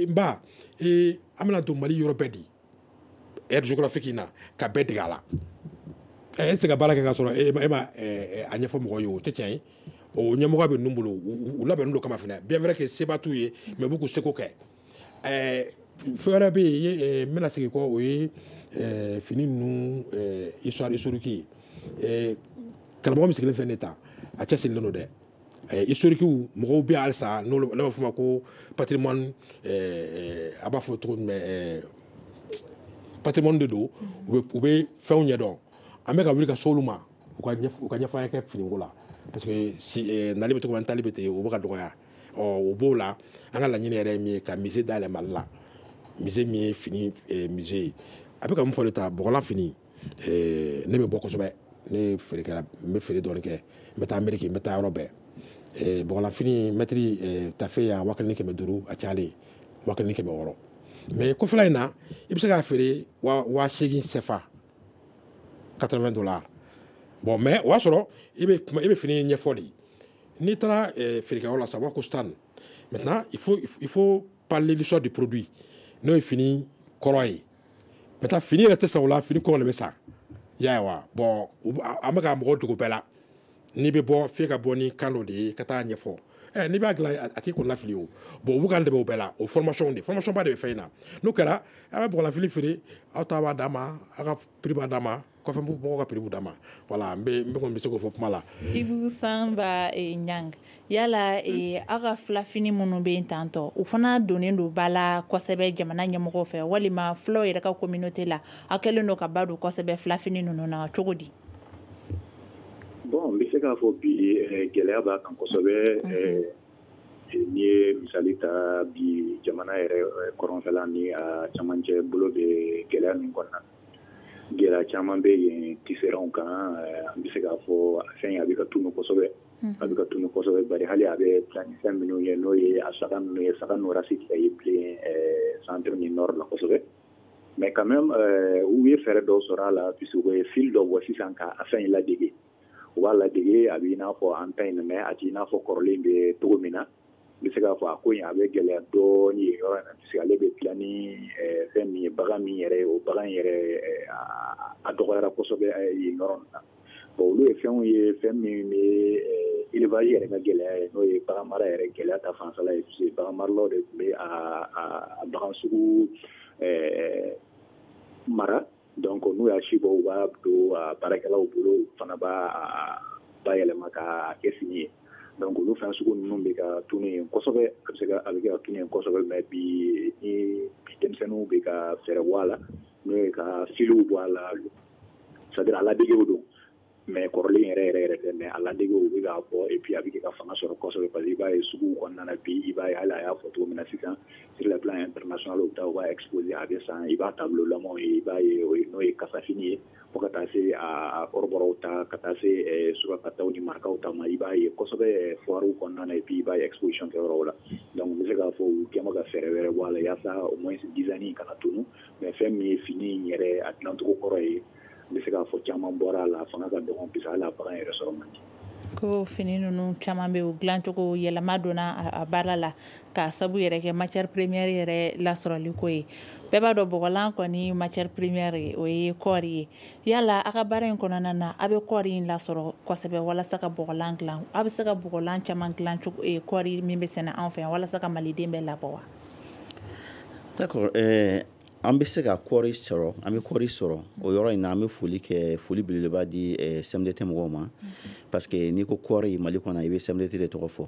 n ba, an bɛna don Mali yɔrɔ bɛɛ de, aire géographique in na, ka bɛɛ dege a la. E tɛ se ka baara kɛ k'a sɔrɔ e ma a ɲɛfɔ mɔgɔw ye, o tɛ tiɲɛ ye. O ɲɛmɔgɔ bɛ ninnu bolo, u labɛnnen don kama fana. Bien vrai que seba t'u ye, mais u b'u k'u seko kɛ. Fɛn wɛrɛ bɛ yen, n bɛna segin kɔ, o ye fini ninnu histoire historique ye. Karamɔgɔ min sigilen filɛ nin ta, a cɛsirilen don dɛ. Historique mɔgɔw bɛ halisa, n'o b'a fɔ o ma ko patrimoine, a b'a fɔ cogo jumɛn, patrimoine de don, u bɛ fɛnw ɲɛdɔn. An bɛ ka wuli ka s'olu ma, u ka u ka ɲɛfɔ an ye kɛ finiko la, parce que si nali bɛ cogo min, taali bɛ ten, o bɛ ka dɔgɔya. Ɔ, o b'o la, an ka laɲini yɛrɛ ye min ye, ka musée dayɛlɛ Mali la, musée min ye fini musée ye. A bɛ ka mun fɔ de ta, bɔgɔlan fini, ne bɛ bɔ kosɛbɛ, ne ye feerekɛla, n bɛ feere dɔɔni kɛ, n bɛ taa Amérique, n bɛ taa yɔrɔ bɛɛ. Bɔgɔlan fini mɛtiri tafe yan, waa kelen ni kɛmɛ duuru, a cayalen waa kelen ni kɛmɛ wɔɔrɔ. Mais kɔfɛla in na, i bɛ se k'a feere waa seegin C F A, quatre-vingts dollars. Bon, mais o y'a sɔrɔ i bɛ i bɛ fini ɲɛfɔ de. N'i taara feerekɛyɔrɔ la sisan, u b'a fɔ ko stand. Maintenant, il faut il faut parler l'histoire du produit, n'o ye fini kɔrɔ ye. Maintenant, fini yɛrɛ tɛ san o la, fini kɔrɔ de bɛ san, i y'a ye wa. Bon, an bɛ ka mɔgɔw dogo bɛɛ la. N'i bɛ bɔ, f'e ka bɔ ni kan dɔ de ye ka taa ɲɛfɔ. Ɛ, n'i b'a dilan, a t'i kɔnɔna fili o. Bon, u bɛ k'an dɛmɛ o bɛɛ la, o formation de, formation ba de bɛ fɛn in na. N'o kɛra, a bɛ bɔgɔlanfini feere, aw ta b'a d'a ma, aw ka prix b'a d'a ma, kɔfɛ mɔgɔw ka prix b'u d'a ma. Voilà, n bɛ n kɔni bɛ se k'o fɔ kuma la. Ibu Sanba Ɲang, yala aw ka filafini minnu bɛ yen tantɔ, u fana donnen don ba la kosɛbɛ jamana ɲɛmɔgɔw fɛ, walima filaw yɛrɛ ka communauté la, aw kɛlen don ka ba don kosɛbɛ filafini ninnu na cogo di? Bon, n bɛ se k'a fɔ bi, gɛlɛya b'a kan kosɛbɛ. N'i ye misali ta bi, jamana yɛrɛ kɔrɔnfɛla ni a camancɛ bolo bɛ gɛlɛya min kɔnɔna, gɛlɛya caman bɛ yen tisserandw kan. An bɛ se k'a fɔ a fɛn a bɛ ka tunu kosɛbɛ, a bɛ ka tunu kosɛbɛ, bari hali a bɛ dilan ni fɛn minnu ye, n'o ye a saga ninnu ye, saga ninnu race tɛ ye bilen centre ni nord la kosɛbɛ. Mais quand même, u ye fɛɛrɛ dɔw sɔrɔ a la, puisque u ye fil dɔ bɔ sisan ka a fɛn in ladege. U b'a ladege, a bɛ i n'a fɔ an ta in, mais a tɛ i n'a fɔ kɔrɔlen bɛ cogo min na. N bɛ se k'a fɔ a ko in a bɛ gɛlɛya dɔɔnin yen yɔrɔ in na, puisque ale bɛ dilan ni fɛn min ye, bagan min yɛrɛ ye, o bagan yɛrɛ a dɔgɔyara kosɛbɛ yen yɔrɔ in na. Bon, olu ye fɛnw ye, fɛn min bɛ élevage yɛrɛ ka gɛlɛya ye, n'o ye bagan mara yɛrɛ gɛlɛya ta fanfɛla ye, puisque bagan maralaw de tun bɛ a bagan sugu mara. Donc n'u y'a si bɔ, u b'a don a baarakɛlaw bolo, u fana b'a bayɛlɛma k'a kɛ fini ye. Donc olu fɛn sugu ninnu bɛ ka tunu yen kosɛbɛ, a bɛ se ka a bɛ ka tunu yen kosɛbɛ. Mais bi, ni bi denmisɛnninw bɛ ka fɛɛrɛ bɔ a la, n'o ye ka filiw bɔ a la, c'est à dire a ladegew don, mais kɔrɔlen yɛrɛ yɛrɛ yɛrɛ tɛ, mais a ladegew bɛ k'a bɔ, et puis a bɛ ka fanga sɔrɔ kosɛbɛ, parce que i b'a ye suguw kɔnɔna na bi, i b'a ye hali a y'a fɔ cogo min na sisan, sur le plan international, u bɛ taa u b'a exposer, a bɛ san, i b'a tableau lamaw ye, i b'a ye n'o ye kasafini ye, fo ka taa se a kɔrɔbɔrɔw ta, ka taa se surakataw ni marakaw ta ma, i b'a ye kosɛbɛ foire kɔnɔna na, et puis i b'a ye exposition kɛyɔrɔw la. Donc n bɛ se k'a fɔ u kɛn bɛ ka fɛɛrɛ wɛrɛ bɔ a la, yaasa au moins design kana tunu. Mais fɛn min ye fini in yɛrɛ a dilancogo kɔrɔ ye, n bɛ se k'a fɔ caman bɔra a la, a fanga ka dɔgɔn, puisque hali a bagan yɛrɛ sɔrɔ man di. Ko fini ninnu caman bɛ u dilancogo yɛlɛma donna a baara la, k'a sabu yɛrɛ kɛ matière première yɛrɛ lasɔrɔli ko ye. Bɛɛ b'a dɔn bɔgɔlan kɔni matière première o ye kɔɔri ye. Yala a ka baara in kɔnɔna na, a bɛ kɔɔri in lasɔrɔ kosɛbɛ walasa ka bɔgɔlan dilan? A bɛ se ka bɔgɔlan caman dilan cogo kɔɔri min bɛ sɛnɛ anw fɛ yan, walasa ka maliden bɛɛ labɔ wa? D'accord, euh, an bɛ se ka kɔɔri sɔrɔ, an bɛ kɔɔri sɔrɔ o yɔrɔ in na. An bɛ foli kɛ, foli belebeleba di C M D T mɔgɔw ma, parce que n'i ko kɔɔri Mali kɔnɔ, i bɛ C M D T de tɔgɔ fɔ.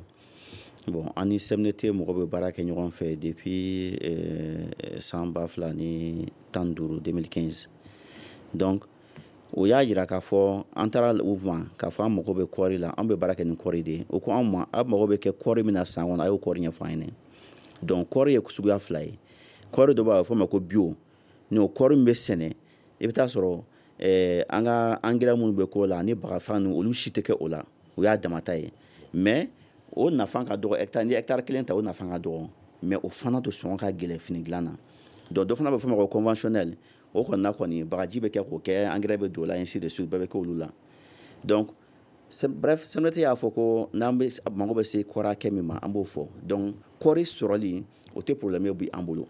Bon, an ni C M N T mɔgɔ bɛ baara kɛ ɲɔgɔn fɛ depuis euh, san ba fila ni tan duuru, deux mille quinze. Donc o y'a yira k'a fɔ an taara u ma k'a fɔ an mago bɛ kɔɔri la, an bɛ baara kɛ ni kɔɔri de ye. O ko anw ma, aw mago bɛ kɛ kɔɔri min na san kɔnɔ, a y'o kɔɔri ɲɛfɔ an ɲɛna. Donc kɔɔri ye suguya fila ye. Kɔɔri dɔ b'a fɔ ma ko bio. N'o kɔɔri min bɛ sɛnɛ, i bɛ taa sɔrɔ eh, an ka engrais minnu bɛ k'o la ani bagafan ninnu, olu si tɛ kɛ o la, o y'a damata ye. Mais o nafa ka dɔgɔ hectare, ni hectare kelen ta, o nafa ka dɔgɔ, mais o fana to sɔngɔ ka gɛlɛn fini dilan na. Donc dɔ fana bɛ fɔ ma ko conventionnel. O kɔni na kɔni, bagaji bɛ kɛ k'o kɛ, engrais bɛ don o la, ainsi de suite, bɛɛ bɛ kɛ olu la. Donc bref, C M N T y'a fɔ ko n'an bɛ mago bɛ se kɔɔri hakɛ min ma, an b'o fɔ. Donc kɔɔri sɔrɔli, o tɛ problème ye bi an bolo.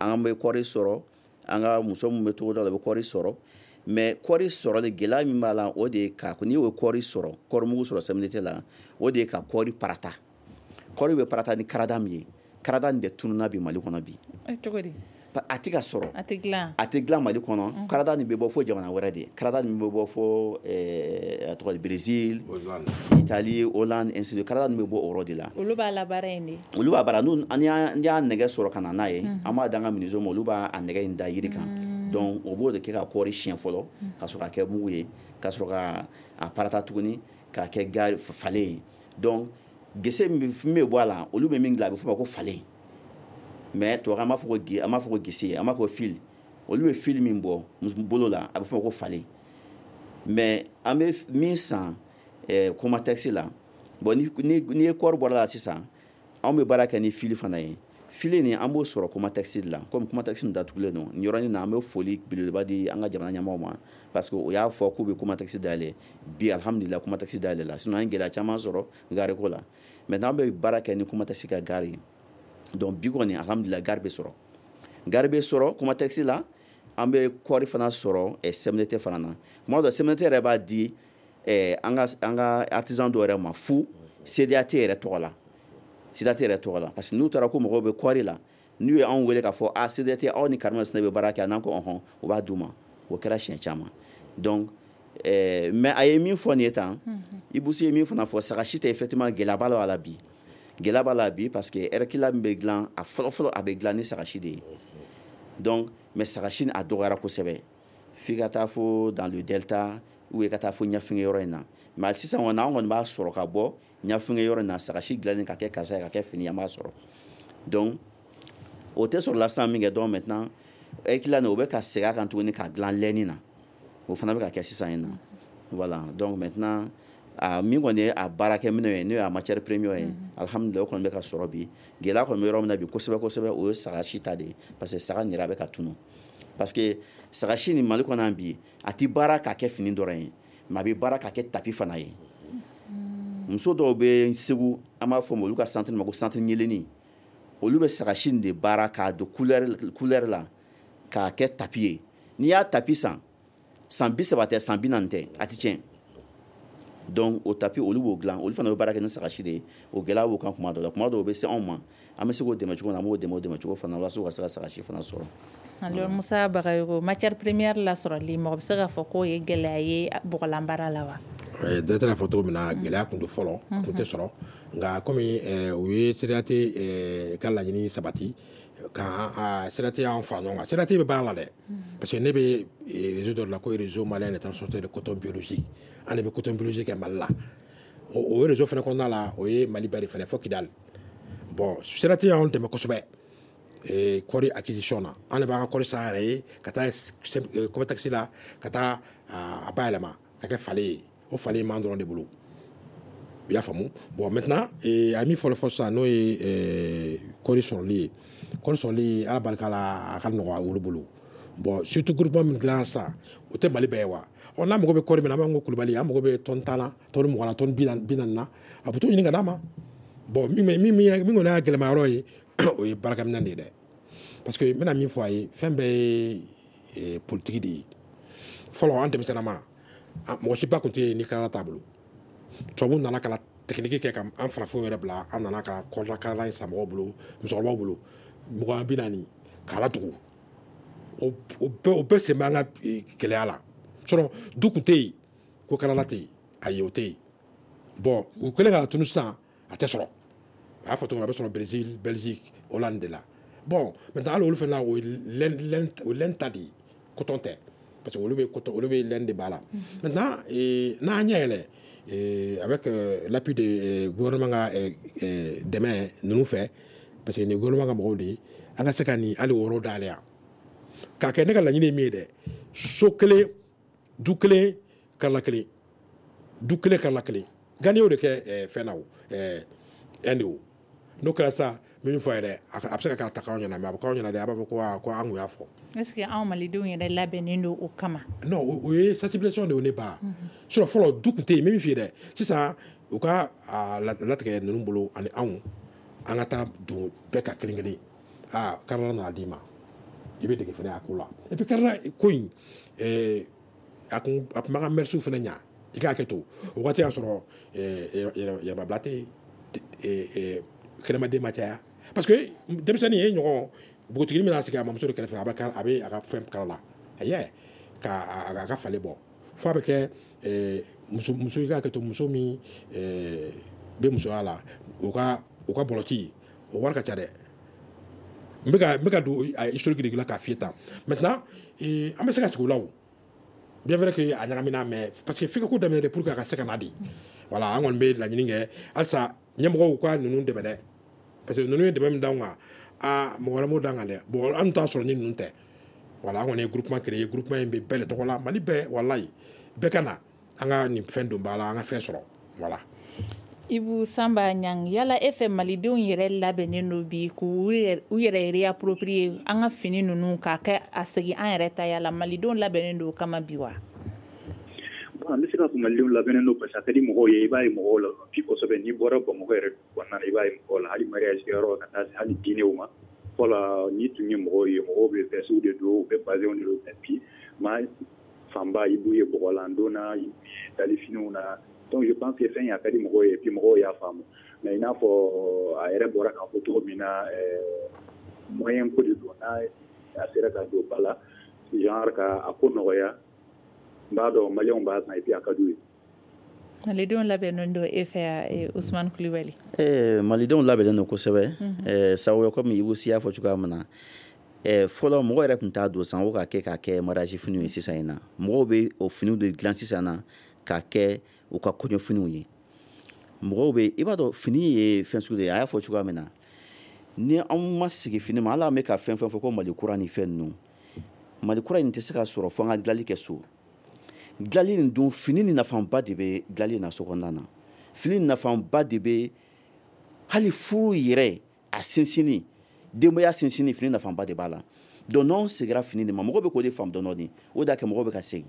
An bɛ kɔɔri sɔrɔ, an ka muso min bɛ togoda la, u bɛ kɔɔri sɔrɔ. Mais kɔɔri sɔrɔli, gɛlɛya min b'a la, o de ye ka n'i y'o kɔɔri sɔrɔ, kɔɔri mugu sɔrɔ C M N T la, o de ye ka kɔɔri parata. Kɔɔri bɛ parata ni karada min ye, karada nin de tununna bi Mali kɔnɔ bi. Cogo di? A tɛ ka sɔrɔ. A tɛ dilan. A tɛ dilan Mali kɔnɔ. Karada nin bɛ bɔ fo jamana wɛrɛ de. Karada nin bɛ bɔ fo a tɔgɔ di, Brésil, Italie, Hollande, ainsi de. Karada nin bɛ bɔ o yɔrɔ de la. Olu b'a labaara yen de. Olu b'a baara. N'u an y'a nɛgɛ sɔrɔ ka na n'a ye, an b'a d'an ka menuisier ma, olu b'a nɛgɛ in da yiri kan. Donc o b'o de kɛ ka kɔɔri siɲɛ fɔlɔ, ka sɔrɔ ka kɛ mugu ye, ka sɔrɔ ka a parata tuguni k'a kɛ gari falen ye. Donc gese min bɛ bɔ a la, olu bɛ min dilan, a bɛ f'o ma ko falen. Mais tubabukan, an b'a fɔ ko an b'a fɔ ko gese, an b'a fɔ ko fil. Olu bɛ fil min bɔ bolo la, a bɛ f'o ma ko falen. Mais an bɛ min san Comatex la, bon, ni ni ye kɔɔri bɔra la sisan, anw bɛ baara kɛ ni fil fana ye. Fil nin, an b'o sɔrɔ Comatex de la. Komi Comatex nin datugulen don nin yɔrɔnin na, an bɛ foli belebeleba di an ka jamana ɲɛmɔgɔw ma, parce que o y'a fɔ k'u bɛ Comatex dayɛlɛ. Bi, alhamdulillah, Comatex dayɛlɛ la. Sinon an ye gɛlɛya caman sɔrɔ gari ko la. Maintenant an bɛ baara kɛ ni Comatex ka gari ye. Donc bi kɔni, alhamdulillah, gari bɛ sɔrɔ, gari bɛ sɔrɔ Comatex la. An bɛ kɔɔri fana sɔrɔ C M N T fana na. Tuma dɔ, C M N T yɛrɛ b'a di an ka an ka artisan dɔw yɛrɛ ma fu C D A T yɛrɛ tɔgɔ la, C D A T yɛrɛ tɔgɔ la, parce que n'u taara ko mɔgɔw bɛ kɔɔri la, n'u ye anw wele k'a fɔ a C D A T, aw ni karimasina bɛ baara kɛ, n'an ko ɔhɔn, u b'a d'u ma. O kɛra siɲɛ caman. Donc mais a ye min fɔ nin ye tan, Ibou Sy ye min fana fɔ, sagasi tɛ, effectivement, gɛlɛya b'a la bi. Gɛlɛya b'a la bi, parce que ɛrɛkila min bɛ dilan a fɔlɔ fɔlɔ, a bɛ dilan ni sagasi de ye. Donc mais sagasi a dɔgɔyara kosɛbɛ, f'i ka taa fo dans le delta ou ka taa fo Ɲafunke yɔrɔ in na. Mais sisan kɔni, an kɔni b'a sɔrɔ ka bɔ Ɲafunke yɔrɔ in na, sagasi dilannen ka kɛ kasa ye, ka kɛ fini, an b'a sɔrɔ. Donc o tɛ sɔrɔ la sisan min kɛ. Donc maintenant ɛrɛkila nin, o bɛ ka segin a kan tuguni ka dilan lɛni na. O fana bɛ ka kɛ sisan in na. Voilà. Donc maintenant, a min kɔni ye a baarakɛminɛn ye, n'o ye a matière première ye, alhamdulillah, o kɔni bɛ ka sɔrɔ bi. Gɛlɛya kɔni bɛ yɔrɔ min na bi kosɛbɛ kosɛbɛ, o ye sagasi ta de ye, parce que saga nin yɛrɛ, a bɛ ka tunu, parce que sagasi nin, Mali kɔnɔ yan bi, a ti baara k'a kɛ fini dɔrɔn ye, mais a bɛ baara k'a kɛ tapis fana ye. Muso dɔw bɛ Segu, an b'a fɔ olu ka centre ma ko centre ɲeleni, olu bɛ sagasi nin de baara k'a don couleur couleur la k'a kɛ tapis ye. N'i y'a tapis san, san bi saba tɛ, san bi naani tɛ, a ti tiɲɛ. Donc o tapis, olu b'o dilan, olu fana bɛ baara kɛ ni sagasi de ye. O gɛlɛya b'o kan kuma dɔ la. Kuma dɔw bɛ se anw ma, an bɛ se k'o dɛmɛ cogo min na, an b'o dɛmɛ o dɛmɛ cogo fana na, walasa u ka se ka sagasi fana sɔrɔ. Alors Musa Bagayogo, matière première lasɔrɔli, mɔgɔ bɛ se k'a fɔ k'o ye gɛlɛya ye bɔgɔlan baara la wa? Directeur y'a fɔ cogo min na, gɛlɛya tun don fɔlɔ, a tun tɛ sɔrɔ. Nka komi u ye C D A T ka laɲini sabati ka C D A T y'an fara ɲɔgɔn kan. C D A T bɛ baara la dɛ, parce que ne bɛ réseau dɔ de la ko Réseau malien de transporteurs de coton biologique. An de bɛ coton biologique kɛ Mali la. O réseau fana kɔnɔna la, o ye Mali bɛɛ de fana fo Kidali. Bon, C D A T y'anw dɛmɛ kosɛbɛ kɔɔri acquisition na. An de b'an ka kɔɔri san yɛrɛ ye ka taa Comatex la, ka taa a bayɛlɛma ka kɛ falen ye. O falen b'an dɔrɔn de bolo, i y'a faamu. Bon, maintenant a ye min fɔlɔ fɔ sisan, n'o ye kɔɔri sɔrɔli ye, kɔɔri sɔrɔli, Ala barika la, a ka nɔgɔn olu bolo. Bon, surtout groupement min dilan sisan, o tɛ Mali bɛɛ ye wa. Ɔ, n'a mago bɛ kɔɔri min na, an b'an ko Kulubali, an mago bɛ tɔni tan na, tɔni mugan na, tɔni bi naani na, a bɛ t'o ɲini ka d'a ma. Bon, min min min kɔni y'a gɛlɛma yɔrɔ ye, o ye baarakɛminɛn de ye dɛ, parce que n bɛna min fɔ a ye, fɛn bɛɛ ye politique de ye. Fɔlɔ, an denmisɛnninama, mɔgɔ si ba tun tɛ yen ni kalala t'a bolo. Tubabuw nana ka na technique kɛ ka an farafinw yɛrɛ bila, an nana ka kɔrɔla kalala in san mɔgɔw bolo, musokɔrɔbaw bolo, mugan bi naani k'a latugu. O bɛɛ o bɛɛ sen bɛ an ka gɛlɛya la. Sinon du tun tɛ yen ko kalala tɛ yen, ayi, o tɛ yen. Bon, u kɛlen ka tunu sisan, a tɛ sɔrɔ. A y'a fɔ cogo min na, a bɛ sɔrɔ Brésil, Belgique, Hollande de la. Bon, maintenant hali olu fana na, o ye laine laine o laine ta de ye, coton tɛ, parce que olu bɛ coton, olu bɛ laine de b'a la. Maintenant n'an ɲɛ yɛlɛ, avec l'appui de gouvernement ka dɛmɛ ninnu fɛ, parce que nin gouvernement ka mɔgɔw de ye, an ka se ka nin hali o yɔrɔ dayɛlɛ yan k'a kɛ. Ne ka laɲini ye min ye dɛ, so kelen, du kelen, karila kelen, du kelen, karila kelen. Nka n'i y'o de kɛ fɛn na, o Inde, o n'o kɛra sisan, n bɛ min fɔ a ye dɛ, a bɛ se ka kɛ a ta k'anw ɲɛna, mais a bɛ k'anw ɲɛna dɛ, a b'a fɔ ko aa ko an kun y'a fɔ. Est ce que anw malidenw yɛrɛ labɛnnen don o kama? Non, o ye sensibilisation de ye ne ba. Sinon fɔlɔ du tun tɛ yen. N bɛ min f'i ye dɛ, sisan u ka latigɛ ninnu bolo ani anw, an ka taa don bɛɛ ka kelen kelen. Aa, karila nana d'i ma, i bɛ dege fana a ko la. Et puis karila ko in, a kun a tun b'an ka mœurs fana ɲa. I k'a kɛ to o waati y'a sɔrɔ yɛrɛmabila tɛ yen, kɛnɛmaden ma caya, parce que denmisɛnnin ye ɲɔgɔn npogotiginin bɛna sigi a mamuso de kɛrɛfɛ, a bɛ a bɛ a ka fɛn kala la, ayi, ka a ka falen bɔ fo a bɛ kɛ muso muso. I k'a kɛ to, muso min bɛ musoya la, o ka o ka bɔlɔti o wari ka ca dɛ. N bɛ ka n bɛ ka don historique de la k'a f'i ye tan. Maintenant an bɛ se ka sigi o la, o bien vrai que a ɲagamina, mais parce que f'i ka ko daminɛ de pour que a ka se ka na de. Voilà, an kɔni bɛ laɲini kɛ halisa, ɲɛmɔgɔw ka ninnu dɛmɛ dɛ, parce que ninnu ye dɛmɛ min d'anw kan, aa, mɔgɔ wɛrɛ m'o d'an kan dɛ. Bon, an t'a sɔrɔ ni ninnu tɛ. Voilà, an kɔni ye groupement créé. Groupement in bɛ bɛɛ de tɔgɔ la, Mali bɛɛ, walayi, bɛɛ ka na an ka nin fɛn don ba la, an ka fɛn sɔrɔ, voilà. Ibu Sanba Ɲang, yala e fɛ, malidenw yɛrɛ labɛnnen don bi k'u yɛrɛ réapproprier an ka fini ninnu k'a kɛ a segin an yɛrɛ ta la? Malidenw labɛnnen don o kama bi wa? Bon, an bɛ se k'a fɔ malidenw labɛnnen don, parce que a ka di mɔgɔw ye. I b'a ye mɔgɔw la bi kosɛbɛ. N'i bɔra Bamakɔ yɛrɛ kɔnɔna na, i b'a ye mɔgɔw la, hali mariage kɛyɔrɔ ka taa se hali dîner ma. Fɔlɔ, n'i tun ye mɔgɔw ye, mɔgɔw bɛ veste de don, u bɛ bazɛnw de don. Mais bi, maa fanba, i b'u ye bɔgɔlan don na, i b'u ye dalifiniw na. Donc je pense que fɛn in a ka di mɔgɔw ye, puis mɔgɔw y'a faamu. Mais i n'a fɔ a yɛrɛ bɔra k'a fɔ cogo min na, moyen ko de don. N'a a sera ka don ba la, genre ka a ko nɔgɔya, n b'a dɔn maliyɛnw b'a san, et puis a ka d'u ye. Malidenw labɛnnen don e fɛ, Usumani Kulibali? Eh, malidenw labɛnnen don kosɛbɛ. eh, sababu komi Ibu Si y'a fɔ cogoya min na, eh, fɔlɔ mɔgɔ yɛrɛ tun t'a don san o ka kɛ k'a kɛ mariage finiw ye. Sisan in na, mɔgɔw bɛ o finiw de dilan sisan na k'a kɛ u ka kɔɲɔfiniw ye. Mɔgɔw bɛ, i b'a dɔn, fini ye fɛn sugu de ye. A y'a fɔ cogoya min na, ni anw ma sigi fini ma, ala bɛ ka fɛn fɛn fɔ ko Mali kura ni fɛn ninnu, Mali kura in tɛ se ka sɔrɔ fo an ka dilanli kɛ so. Dilanli nin dun, fini ni nafaba de bɛ dilanli na so kɔnɔna na. Fini nafaba de bɛ hali furu yɛrɛ a sinsinni, denbaya sinsinni, fini nafaba de b'a la. Donc n'anw seginna fini de ma, mɔgɔw bɛ k'o de faamu dɔɔnin dɔɔnin. O de y'a kɛ mɔgɔw bɛ ka segin.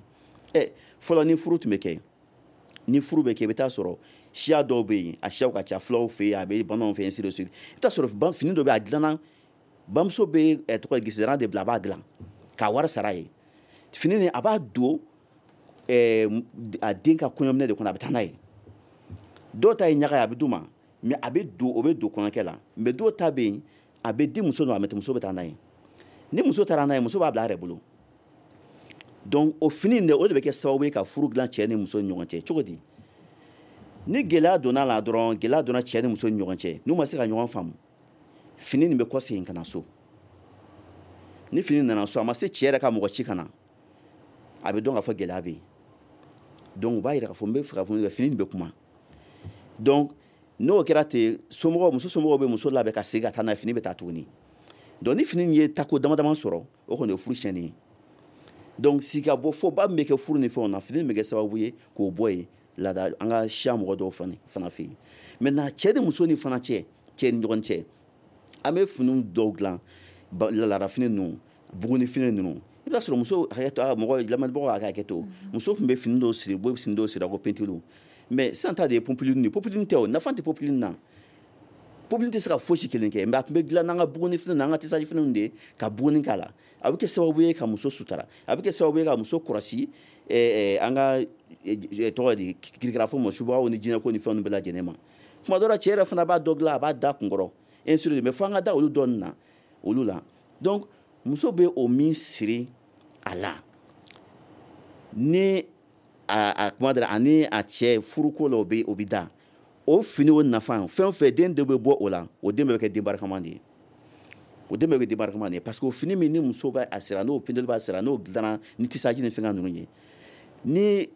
Ɛ, fɔlɔ, ni furu tun bɛ kɛ, ni furu bɛ kɛ, i bɛ taa sɔrɔ siya dɔw bɛ yen, a siyaw ka ca, fulaw fɛ yen, a bɛ bamananw fɛ yen, ainsi de suite. I bɛ taa sɔrɔ fini dɔ bɛ yen, a dilanna, bamuso bɛ tɔgɔ gisidaran de bila, a b'a dilan k'a wari sara ye. Fini nin, a b'a don a den ka kɔɲɔminɛ de kɔnɔ, a bɛ taa n'a ye. Dɔw ta ye ɲaga ye, a bɛ d'u ma, mais a bɛ don, o bɛ don kɔɲɔkɛ la. Mais dɔw ta bɛ yen, a bɛ di muso ma, mais muso bɛ taa n'a ye. Ni muso taara n'a ye, muso b'a bila a yɛrɛ bolo. Donc o fini in de, o de bɛ kɛ sababu ye ka furu dilan cɛ ni muso ni ɲɔgɔn cɛ. Cogo di? Ni gɛlɛya donna la dɔrɔn, gɛlɛya donna cɛ ni muso ni ɲɔgɔn cɛ, n'u ma se ka ɲɔgɔn faamu, fini nin bɛ kɔsegin ka na so. Ni fini nana so, a ma se cɛ yɛrɛ ka mɔgɔ ci ka na, a bɛ dɔn k'a fɔ gɛlɛya bɛ yen. Donc u b'a yira k'a fɔ n bɛ fɛ ka fɔ fini nin bɛ kuma. Donc n'o kɛra ten, somɔgɔw, muso somɔgɔw bɛ muso labɛn ka segin ka taa n'a ye, fini bɛ taa tuguni. Donc ni fini ye tako dama dama sɔrɔ, o kɔni ye furu tiɲɛni ye. Donc sigikabɔ fɔba min bɛ kɛ furu ni fɛnw na, fini bɛ kɛ sababu ye k'o bɔ yen laada an ka siya mɔgɔ dɔw fana fana fɛ yen. Maintenant cɛ ni muso ni fana cɛ, cɛ ni ɲɔgɔn cɛ, an bɛ finiw dɔw dilan, laada fini ninnu, buguni fini ninnu. I bɛ taa sɔrɔ muso, hakɛ to, mɔgɔ lamɛnbagaw ka hakɛ to, muso tun bɛ fini dɔw siri, bɛ fini dɔw siri ko pentiliw. Mais sisan ta de ye popeline ye. Popeline tɛ o, nafa tɛ popeline na. Popeline tɛ se ka fosi kelen kɛ, mais a tun bɛ dilan n'an ka buguni fini n'an ka tissage finiw de ye ka buguni k'a la. A bɛ kɛ sababu ye ka muso sutura, a bɛ kɛ sababu ye ka muso kɔlɔsi an ka tɔgɔ di kirikara fɔ ma, subaw ni jinɛko ni fɛnw bɛɛ lajɛlen ma. Tuma dɔ la, cɛ yɛrɛ fana b'a dɔ dilan, a b'a da kunkɔrɔ, ainsi de suite. Mais fo an ka da olu dɔɔnin na, olu la. Donc muso bɛ o min siri a la, ni a a kuma dara ani a cɛ furuko la, o bɛ o bɛ da. O fini o nafa, fɛn o fɛn den dɔ bɛ bɔ o la, o den bɛɛ bɛ kɛ den barikama de ye. O den bɛɛ bɛ den barikama de ye, parce que o fini min ni muso b'a a sira, n'o pindeli b'a sira, n'o dilanna ni tissage ni fɛngɛ ninnu ye, ni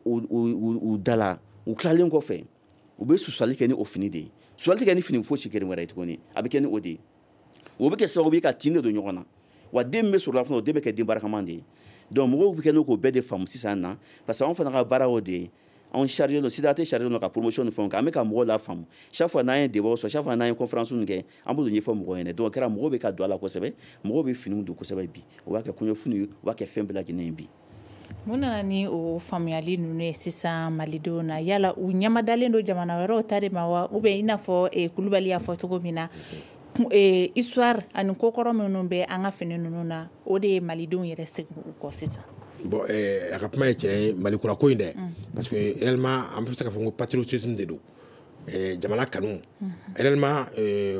u u dala, u tilalen kɔfɛ, u bɛ susali kɛ ni o fini de ye. Susali tɛ kɛ ni fini fosi kelen wɛrɛ ye tuguni, a bɛ kɛ ni o de ye. O bɛ kɛ sababu ye ka tin de don ɲɔgɔn na, wa den min bɛ sɔrɔ la fana, o den bɛ kɛ den barikama de ye. Donc mɔgɔw bɛ kɛ n'o k'o bɛɛ de faamu sisan na, parce que anw fana ka baara o de ye. Anw chargé don, C D A T chargé don ka promotion ni fɛnw kɛ, an bɛ ka mɔgɔw la faamu. Chaque fois n'an ye débat sɔrɔ, chaque fois n'an ye conférence kɛ, an b'o ɲɛfɔ mɔgɔw ɲɛna. Donc o kɛra, mɔgɔw bɛ ka don a la kosɛbɛ, mɔgɔw bɛ finiw don kosɛbɛ bi. U b'a kɛ kɔɲɔfiniw ye, u b'a kɛ fɛn bɛɛ lajɛlen ye bi. Mun nana ni o faamuyali ninnu ye sisan malidenw na? Yala u ɲamadalen don jamana wɛrɛw ta de ma wa, ou bien i n'a fɔ Kulubali y'a fɔ cogo min na, histoire ani kokɔrɔ minnu bɛ an ka fini ninnu na, o de ye malidenw yɛrɛ segin u kɔ sisan? Bon, a ka kuma ye tiɲɛ ye, Mali kura ko in dɛ, parce que réellement an bɛ se k'a fɔ ko patriotisme de don, jamana kanu réellement,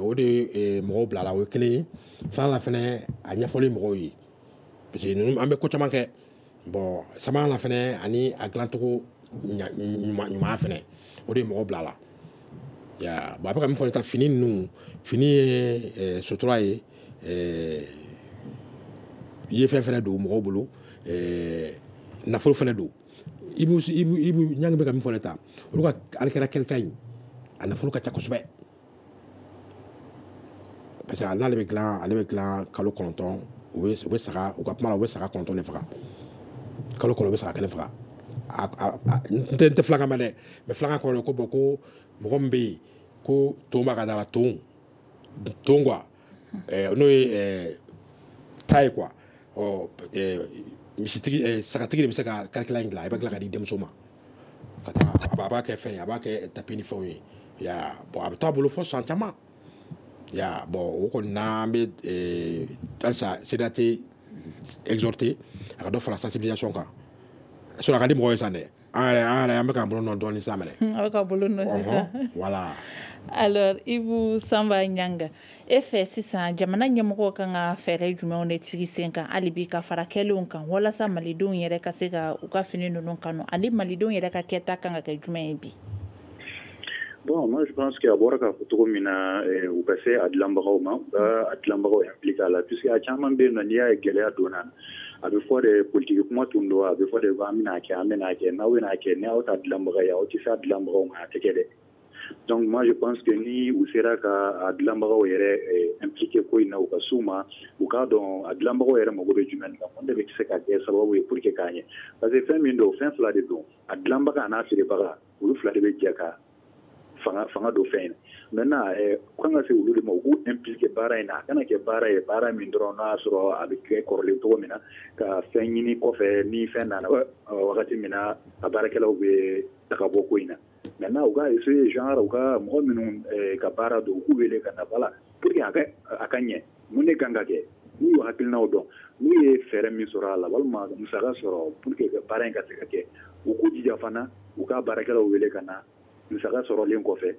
o de ye mɔgɔw bila la. O ye kelen ye. Filanan la fɛnɛ, a ɲɛfɔli mɔgɔw ye, parce que ninnu an bɛ ko caman kɛ. Bon, sabanan la fɛnɛ, ani a dilancogo ɲuman fɛnɛ, o de ye mɔgɔw bila la. Ya bon, a bɛ ka min fɔ ta, fini ninnu, fini ye sutura ye, ye fɛn fɛnɛ don mɔgɔw bolo, nafolo fɛnɛ don. Ibu Ibu Ibu Ɲangi bɛ ka min fɔ ne ta, olu ka alikɛra kɛlita in, a nafolo ka ca kosɛbɛ, parce que n'ale bɛ dilan, ale bɛ dilan kalo kɔnɔntɔn. U bɛ u bɛ saga, u ka kuma la, u bɛ saga kɔnɔntɔn de faga kalo kɔnɔ, u bɛ saga kelen faga. N tɛ n tɛ filakan mɛn dɛ, mais filakan kɔrɔ ko bon, ko mɔgɔ min bɛ yen ko ton b'a ka da la, ton ton quoi, n'o ye ta ye quoi. Ɔ misitigi, sagatigi de bɛ se ka karikɛla in dilan, i bɛ tila ka di denmuso ma ka taa, a b'a kɛ fɛn ye, a b'a kɛ tapis ni fɛnw ye. Ya bon, a bɛ taa bolo fo san caman. Ya bon, o kɔni n'an bɛ halisa C D A T exhorter a ka dɔ fara sensibilisation kan. Sinon a ka di mɔgɔw ye sisan dɛ, an yɛrɛ an yɛrɛ an bɛ k'an bolo nɔ dɔɔnin sisan mɛnɛ. A bɛ ka bolo nɔ sisan. Voilà. Alors Ibu Sanba Ɲanga, e fɛ sisan, jamana ɲɛmɔgɔw kan ka fɛɛrɛ jumɛnw de sigi sen kan hali bi ka fara kɛlenw kan, walasa malidenw yɛrɛ ka se ka u ka fini ninnu kanu, ani malidenw yɛrɛ ka kɛta kan ka kɛ jumɛn ye bi? Bon, moi je pense que a bɔra k'a fɔ cogo min na, u ka se a dilanbagaw ma, u ka a dilanbagaw impliqué a la, puisque a caman bɛ yen nɔ, n'i y'a ye gɛlɛya donna, a bɛ fɔ de politique kuma tun don, a bɛ fɔ de ko an bɛna kɛ, an bɛna kɛ, n'aw bɛna kɛ, ni aw ta dilanbaga ye, aw tɛ se a dilanbagaw ma, a tɛ kɛ dɛ. Donc moi je pense que ni u sera ka a dilanbagaw yɛrɛ impliqué ko in na, u ka s'u ma, u k'a dɔn a dilanbagaw yɛrɛ mago bɛ jumɛn na, mun de bɛ se ka kɛ sababu ye pour que k'a ɲɛ. Parce que fɛn min don, fɛn fila de don: a dilanbaga a n'a feerebaga, olu fila de bɛ jɛ ka fanga fanga don fɛn in na. Maintenant, u kan ka se olu de ma, u k'u impliqué baara in na. A kana kɛ baara ye, baara min dɔrɔn n'a y'a sɔrɔ a bɛ kɛ kɔrɔlen cogo min na, ka fɛn ɲini kɔfɛ, ni fɛn nana wagati min na, a baarakɛlaw bɛ taga bɔ ko in na. Maintenant, u ka essayer, genre u ka mɔgɔ minnu ka baara don, u k'u wele ka na, voilà, pour que a ka a ka ɲɛ. Mun de kan ka kɛ? N'u y'u hakilinaw dɔn, n'u ye fɛɛrɛ min sɔrɔ a la, walima musaka sɔrɔ pour que baara in ka se ka kɛ, u k'u jija fana u ka baarakɛlaw wele ka na. Musaka sɔrɔlen kɔfɛ,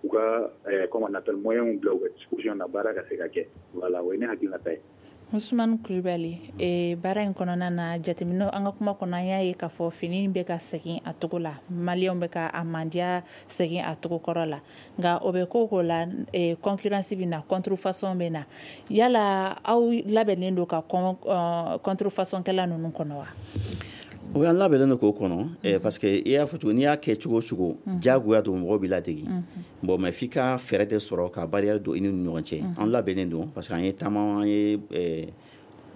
u ka, comment on appelle, moyens bila u ka disposition na, baara ka se ka kɛ. Voilà, o ye ne hakilinata ye. Usumani Kulibali, e, baara in kɔnɔna na, jateminɛ an ka kuma kɔnɔ, an y'a ye k'a fɔ fini bɛ ka segin a togo la, maliyɛnw bɛ ka a mandiya segin a togo kɔrɔ la. Nka o bɛ ko ko la, e, concurrence bɛ na, contrefaçon bɛ na. Yala aw labɛnnen don ka contrefaçon kɛla ninnu kɔnɔ wa? O y'an labɛnnen don k'o kɔnɔ, parce que i y'a fɔ cogo, n'i y'a kɛ cogo o cogo, diyagoya don, mɔgɔw b'i ladege. Bon, mais f'i ka fɛɛrɛ de sɔrɔ ka barrière don i ni ɲɔgɔn cɛ. An labɛnnen don, parce que an ye taama, an ye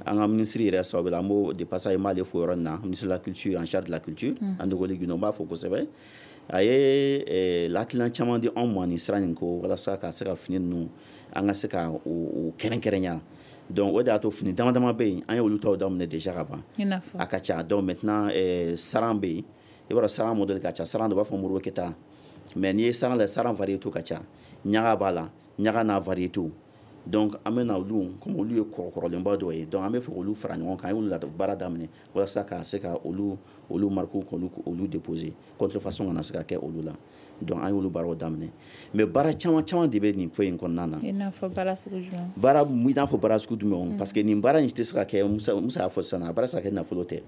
an ka ministre yɛrɛ sababu la, an b'o de passage, n b'ale fo yɔrɔ in na, ministre de la culture, en charge de la culture, Andogoly Guindo, n b'a fo kosɛbɛ. A ye lakilina caman di anw ma nin sira in ko, walasa ka se ka fini ninnu, an ka se ka o kɛrɛnkɛrɛnya. Donc o de y'a to fini dama dama bɛ yen, an ye olu taw daminɛ déjà ka ban, a ka ca. Donc maintenant, saran bɛ yen, i b'a dɔn saran modèle ka ca. Saran dɔ b'a fɔ Modibo Keyita, mais n'i ye saran lajɛ, saran variété ka ca. Ɲaga b'a la, ɲaga n'a variété, Donc an bɛ na olu, comme olu ye kɔrɔkɔrɔlenba dɔw ye, donc an bɛ fɛ k'olu fara ɲɔgɔn kan. An y'olu baara daminɛ walasa ka se ka olu olu marques k'olu olu déposer, contrefaçon kana se ka kɛ olu la. Donc an y'olu baaraw daminɛ, mais baara caman caman de bɛ nin ko in kɔnɔna na. I n'a fɔ baara sugu jumɛn? Baara, i n'a fɔ baara sugu jumɛn? Parce que nin baara in tɛ se ka kɛ, Musa Musa y'a fɔ sisan, a baara tɛ se ka kɛ nafolo tɛ.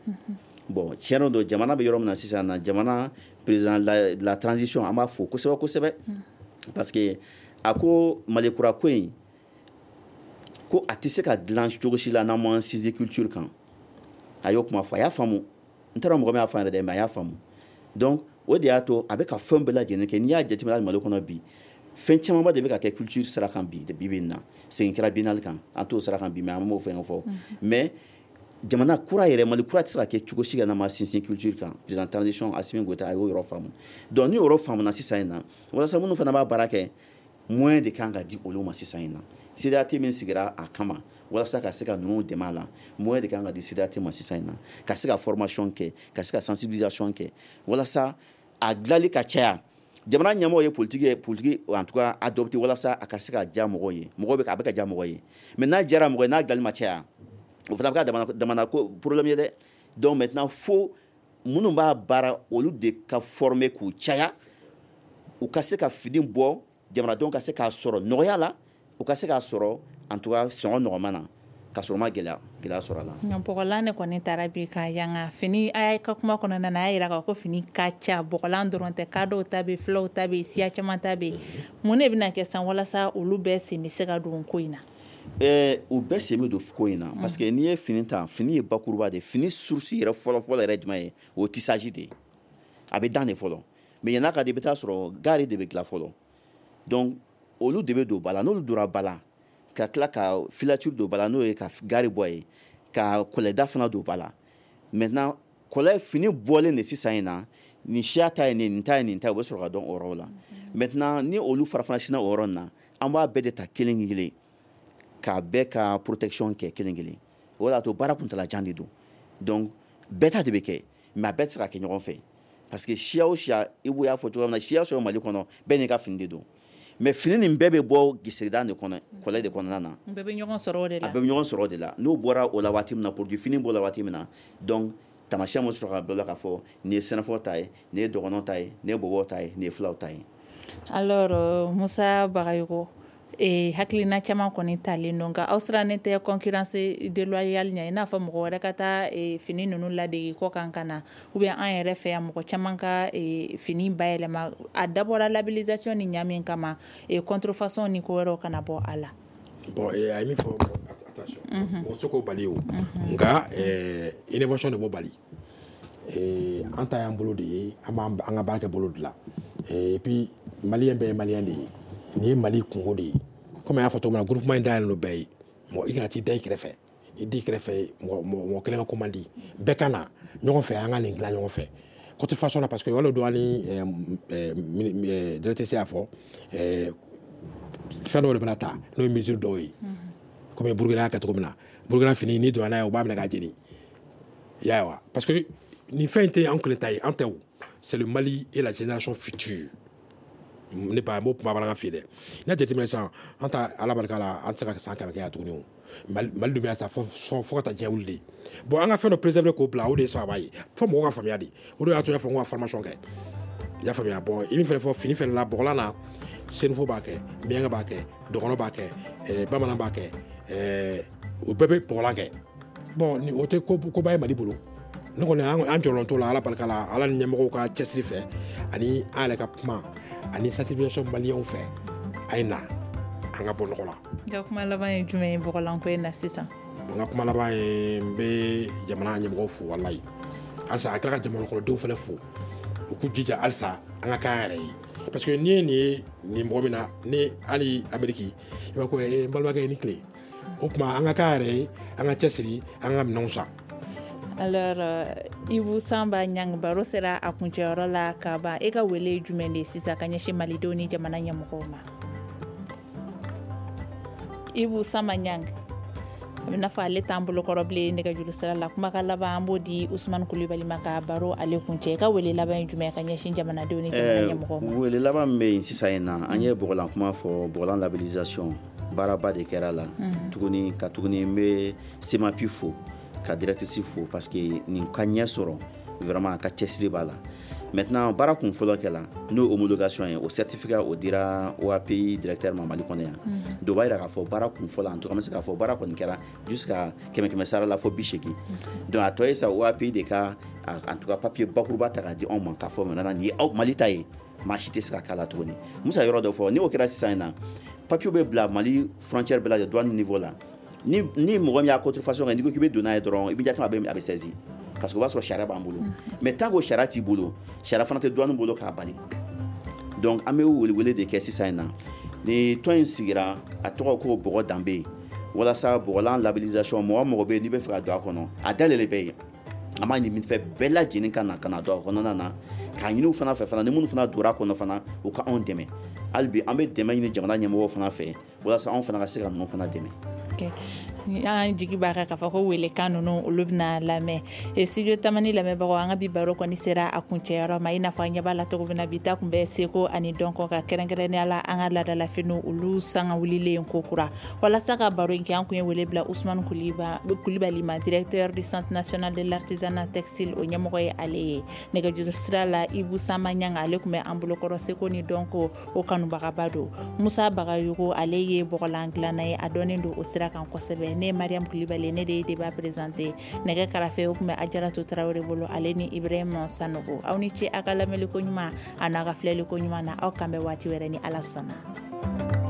Bon, tiɲɛ don, jamana bɛ yɔrɔ min na sisan na, jamana président la, la transition, an b'a fo kosɛbɛ kosɛbɛ, parce que a ko Mali kura ko in, ko a tɛ se ka dilan cogo si la n'an m'an sinsin culture kan. A y'o kuma fɔ, a y'a faamu. N taara mɔgɔ min y'a fɔ an yɛrɛ dɛ, mais a y'a faamu. Donc o de y'a to a bɛ ka fɛn bɛɛ lajɛlen kɛ. N'i y'a jateminɛ Mali kɔnɔ bi, fɛn camanba de bɛ ka kɛ culture sira kan bi. Bi bi in na, segin kɛra biennale kan, an t'o sira kan bi, mais an m'o fɛn fɔ. Mais jamana kura yɛrɛ, Mali kura tɛ se ka kɛ cogo si la n'an ma sinsin culture kan. Président transition Assimi Goïta, a y'o yɔrɔ faamu. Donc ni yɔrɔ faamuna sisan in na, walasa minnu fana b'a baara kɛ, moyen de kan ka di olu ma sisan in na. C D A T min sigira a kama walasa ka se ka ninnu dɛmɛ a la, moyen de kan ka di C D A T ma sisan in na, ka se ka formation kɛ, ka se ka sensibilisation kɛ, walasa a dilanli ka caya. Jamana ɲɛmɔgɔ ye politique ye, politique en tout cas adopté walasa a ka se ka diya mɔgɔw ye. Mɔgɔw bɛ a bɛ ka diya mɔgɔw ye, mais n'a diyara mɔgɔ ye, n'a dilanli ma caya, o fana bɛ kɛ damana damana ko problème ye dɛ. Donc maintenant, fo minnu b'a baara, olu de ka former k'u caya, u ka se ka fini bɔ, jamanadenw ka se k'a sɔrɔ nɔgɔya la, u ka se k'a sɔrɔ en tout cas sɔngɔ nɔgɔman na, ka sɔrɔ ma gɛlɛya gɛlɛya sɔrɔ a la. Nka bɔgɔlan de kɔni taara bi ka yanga fini. A ka kuma kɔnɔna na, a y'a yira k'a ko fini ka ca, bɔgɔlan dɔrɔn tɛ, kadɔw ta bɛ, filaw ta bɛ, siya caman ta bɛ. Mun de bɛna kɛ san walasa olu bɛɛ sen bɛ se ka don ko in na? Ɛɛ, u bɛɛ sen bɛ don ko in na, parce que n'i ye fini ta, fini ye bakuruba de ye. Fini source yɛrɛ fɔlɔ-fɔlɔ yɛrɛ jumɛn ye? O ye tissage de ye. A bɛ dan de fɔlɔ, mais yann'a ka di, i bɛ taa sɔrɔ gari de bɛ dilan fɔlɔ. Donc olu de bɛ don ba la. N'olu donna ba la, ka tila ka filature don ba la, n'o ye ka gari bɔ yen, ka kɔlɛda fana don ba la. Maintenant, kɔlɛ fini bɔlen de sisan in na, nin siya ta ye nin, nin ta ye nin ta ye, u bɛ sɔrɔ ka dɔn o yɔrɔ la. Maintenant, ni olu fara fana sinna o yɔrɔ in na, an b'a bɛɛ de ta kelen kelen, k'a bɛɛ ka protection kɛ kelen kelen. O de y'a to baara kuntalajan de don. Donc bɛɛ ta de bɛ kɛ, mais a bɛɛ tɛ se ka kɛ ɲɔgɔn fɛ, parce que siya o siya, i b'o y'a fɔ cogoya min na, siya o siya Mali kɔnɔ, bɛɛ n'i ka fini de don. Mais fini nin bɛɛ bɛ bɔ giseda de kɔnɔ, kɔlɛ de kɔnɔna na. Bɛɛ bɛ ɲɔgɔn sɔrɔ o de la. A bɛɛ bɛ ɲɔgɔn sɔrɔ o de la. N'o bɔra o la waati min na, produit fini bɔra waati min na, donc tamasiyɛn bɛ sɔrɔ ka bila k'a fɔ nin ye sɛnɛfɔ ta ye, nin ye dɔgɔnɔ ta ye, nin ye bɔbɔw ta ye, nin ye filaw ta ye. Alors euh, Musa Bagayogo, eh, hakilina caman kɔni talen don, nka aw sirannen tɛ concurrence déloyale ɲɛ, i n'a fɔ mɔgɔ wɛrɛ ka taa eh, fini ninnu ladege kɔ kan ka na, ou bien an yɛrɛ fɛ yan, mɔgɔ caman ka eh, fini bayɛlɛma? A dabɔra labellisation ni ɲa min kama, eh, contrefaçon ni ko wɛrɛw kana bɔ a la. Bon, a ye min fɔ, attention, mɔgɔ se k'o bali o, nka innovation de b'o bali. An ta y'an bolo de ye, an b'an an ka baara kɛ bolo de la. Et puis malien bɛɛ ye malien de ye. Nin ye Mali kungo de ye. Komi an y'a fɔ cogo min na, groupement in dayɛlɛlen don bɛɛ ye. Mɔgɔ i kana t'i da i kɛrɛfɛ, i da i kɛrɛfɛ, mɔgɔ mɔgɔ kelen ka ko man di. Bɛɛ ka na ɲɔgɔn fɛ, an ka nin dilan ɲɔgɔn fɛ contrefaçon na, parce que o de don. Hali directrice y'a fɔ, fɛn dɔw de bɛna ta, n'o ye mesure dɔw ye, komi Burukina y'a kɛ cogo min na. Burukina fini, n'i donna n'a ye, u b'a minɛ k'a jeni. I y'a ye wa? Parce que nin fɛn in tɛ anw kelen ta ye, an tɛ o, c'est le Mali et la génération future. Ne ba, n b'o kuma bamanankan f'i ye dɛ. N'a jateminɛ sisan, an ta, Ala barika la, an tɛ se ka san kɛmɛ kɛ yan tuguni. O Mali, Mali dun bɛ yan sa fo fo ka taa diɲɛ wuli de. Bon, an ka fɛn dɔ préserver k'o bila, o de ye sababa ye fo mɔgɔw ka faamuya de. O de y'a to n y'a fɔ n ko ka formation kɛ, i y'a faamuya? Bon, i min fɛnɛ fɔ, fini fɛnɛ la, bɔgɔlan na, senufo b'a kɛ, miyanka b'a kɛ, dɔgɔnɔ b'a kɛ, bamanan b'a kɛ, o bɛɛ bɛ bɔgɔlan kɛ. Bon, ni o tɛ koba ye Mali bolo. Ne kɔni, an jɔlen t'o la, Ala barika la, Ala ni ɲɛmɔgɔw ka cɛsiri fɛ, ani an yɛrɛ ka kuma, ani sensibilisation maliyɛnw fɛ, a ye na an ka bɔ nɔgɔ la. I ka kuma laban ye jumɛn ye bɔgɔlanko in na sisan? N ka kuma laban ye, n bɛ jamana ɲɛmɔgɔw fo walayi. Halisa a tila ka jamana kɔnɔdenw fana fo, u k'u jija halisa an ka k'an yɛrɛ ye, parce que n'i ye nin ye nin mɔgɔ min na, ni hali Ameriki, i b'a ko n balimakɛ, i ni tile. O tuma an ka k'an yɛrɛ ye, an ka cɛsiri, an ka minɛnw san. Alors euh, Ibu Samba Ɲang, baro sera a kuncɛyɔrɔ la ka ban. E ka wele ye jumɛn de sisan ka ɲɛsin malidenw ni jamana ɲɛmɔgɔw ma? Ibu Samba Ɲang, a bɛ n'a fɔ ale t'an bolokɔrɔ bilen nɛgɛjuru sira la. Kumakan laban, an b'o di Usumani Kulibali ma ka baro ale kuncɛ. E ka wele laban ye jumɛn ka ɲɛsin jamanadenw ni jamana ɲɛmɔgɔw ma? Wele laban min bɛ yen sisan in na, an ye bɔgɔlan kuma fɔ, bɔgɔlan labellisation. Baaraba de kɛra la tuguni ka tuguni n bɛ SEMAPI fo, ka directrice fo, parce que nin ka ɲɛ sɔrɔ, vraiment a ka cɛsiri b'a la. Maintenant, baara kun fɔlɔ kɛla, n'o ye homologation ye, o certificat o dira O A P I directeur ma Mali kɔnɔ yan. Donc o b'a yira k'a fɔ baara kun fɔlɔ, en tout cas an bɛ se k'a fɔ baara kɔni kɛra jusqu'à kɛmɛ kɛmɛ sara la fo bi seegin. Donc a tɔ ye sa O A P I de ka, en tout cas, papier bakuruba ta k'a di anw ma k'a fɔ maintenant nin ye aw Mali ta ye, maa si tɛ se ka k'a la tuguni. Musa, yɔrɔ dɔ fɔ, ni o kɛra sisan in na, papier bɛ bila Mali frontière bɛɛ lajɛlen, douane niveau la. ni ni mɔgɔ min y'a contrefaçon kɛ, n'i ko k'i bɛ don n'a ye dɔrɔn, immédiatement a bɛ a bɛ saisi, parce que o b'a sɔrɔ sariya b'an bolo. Mais tant que o sariya t'i bolo, sariya fana tɛ douane bolo k'a bali. Donc an bɛ welewele de kɛ sisan in na, ni tɔn in sigira, a tɔgɔ ko Bɔgɔ Danbe, walasa bɔgɔlan labellisation, mɔgɔ mɔgɔ bɛ yen n'i bɛ fɛ ka don a kɔnɔ, a dayɛlɛlen bɛ yen. An b'a ɲini fɛ bɛɛ lajɛlen ka na ka na don a kɔnɔna na, k'a ɲini u fana fɛ fana, ni minnu fana donna a kɔnɔ fana, u ka anw dɛmɛ. Hali bi an bɛ dɛmɛ ɲini jamana ɲɛmɔgɔw fana fɛ, walasa anw fana ka se ka ninnu fana dɛmɛ. An jigi b'a kan k'a fɔ ko welekan ninnu, olu bɛna lamɛn. Studio Tamani lamɛnbagaw, an ka bi baro kɔni sera a kuncɛyɔrɔ ma. I n'a fɔ an ɲɛ b'a la cogo min na, bi ta tun bɛ seko ani dɔnko ka, kɛrɛnkɛrɛnnenya la an ka laadalafiniw, olu sanga wulilen ko kura. Walasa ka baro in kɛ, an kun ye wele bila Usumani Kulibali ma, directeur du Centre national de l'artisanat textile, o ɲɛmɔgɔ ye ale ye. Nɛgɛjuru sira la, Ibu Sama Ɲanga, ale tun bɛ an bolokɔrɔ, seko ni dɔnko o kanubagaba don. Musa Bagayogo, ale ye bɔgɔlan dilanna ye, a dɔnnen don o sira kan kosɛbɛ. Ne ye Mariam Kulibali, ne de ye débat présenté. Nɛgɛ karafe o tun bɛ Ajaratu Tarawele bolo, ale ni Ibrahima Sanogo. Aw ni ce a ka lamɛnliko ɲuman a n'a ka filɛliko ɲuman na. Aw kan bɛ waati wɛrɛ ni Ala sɔnna.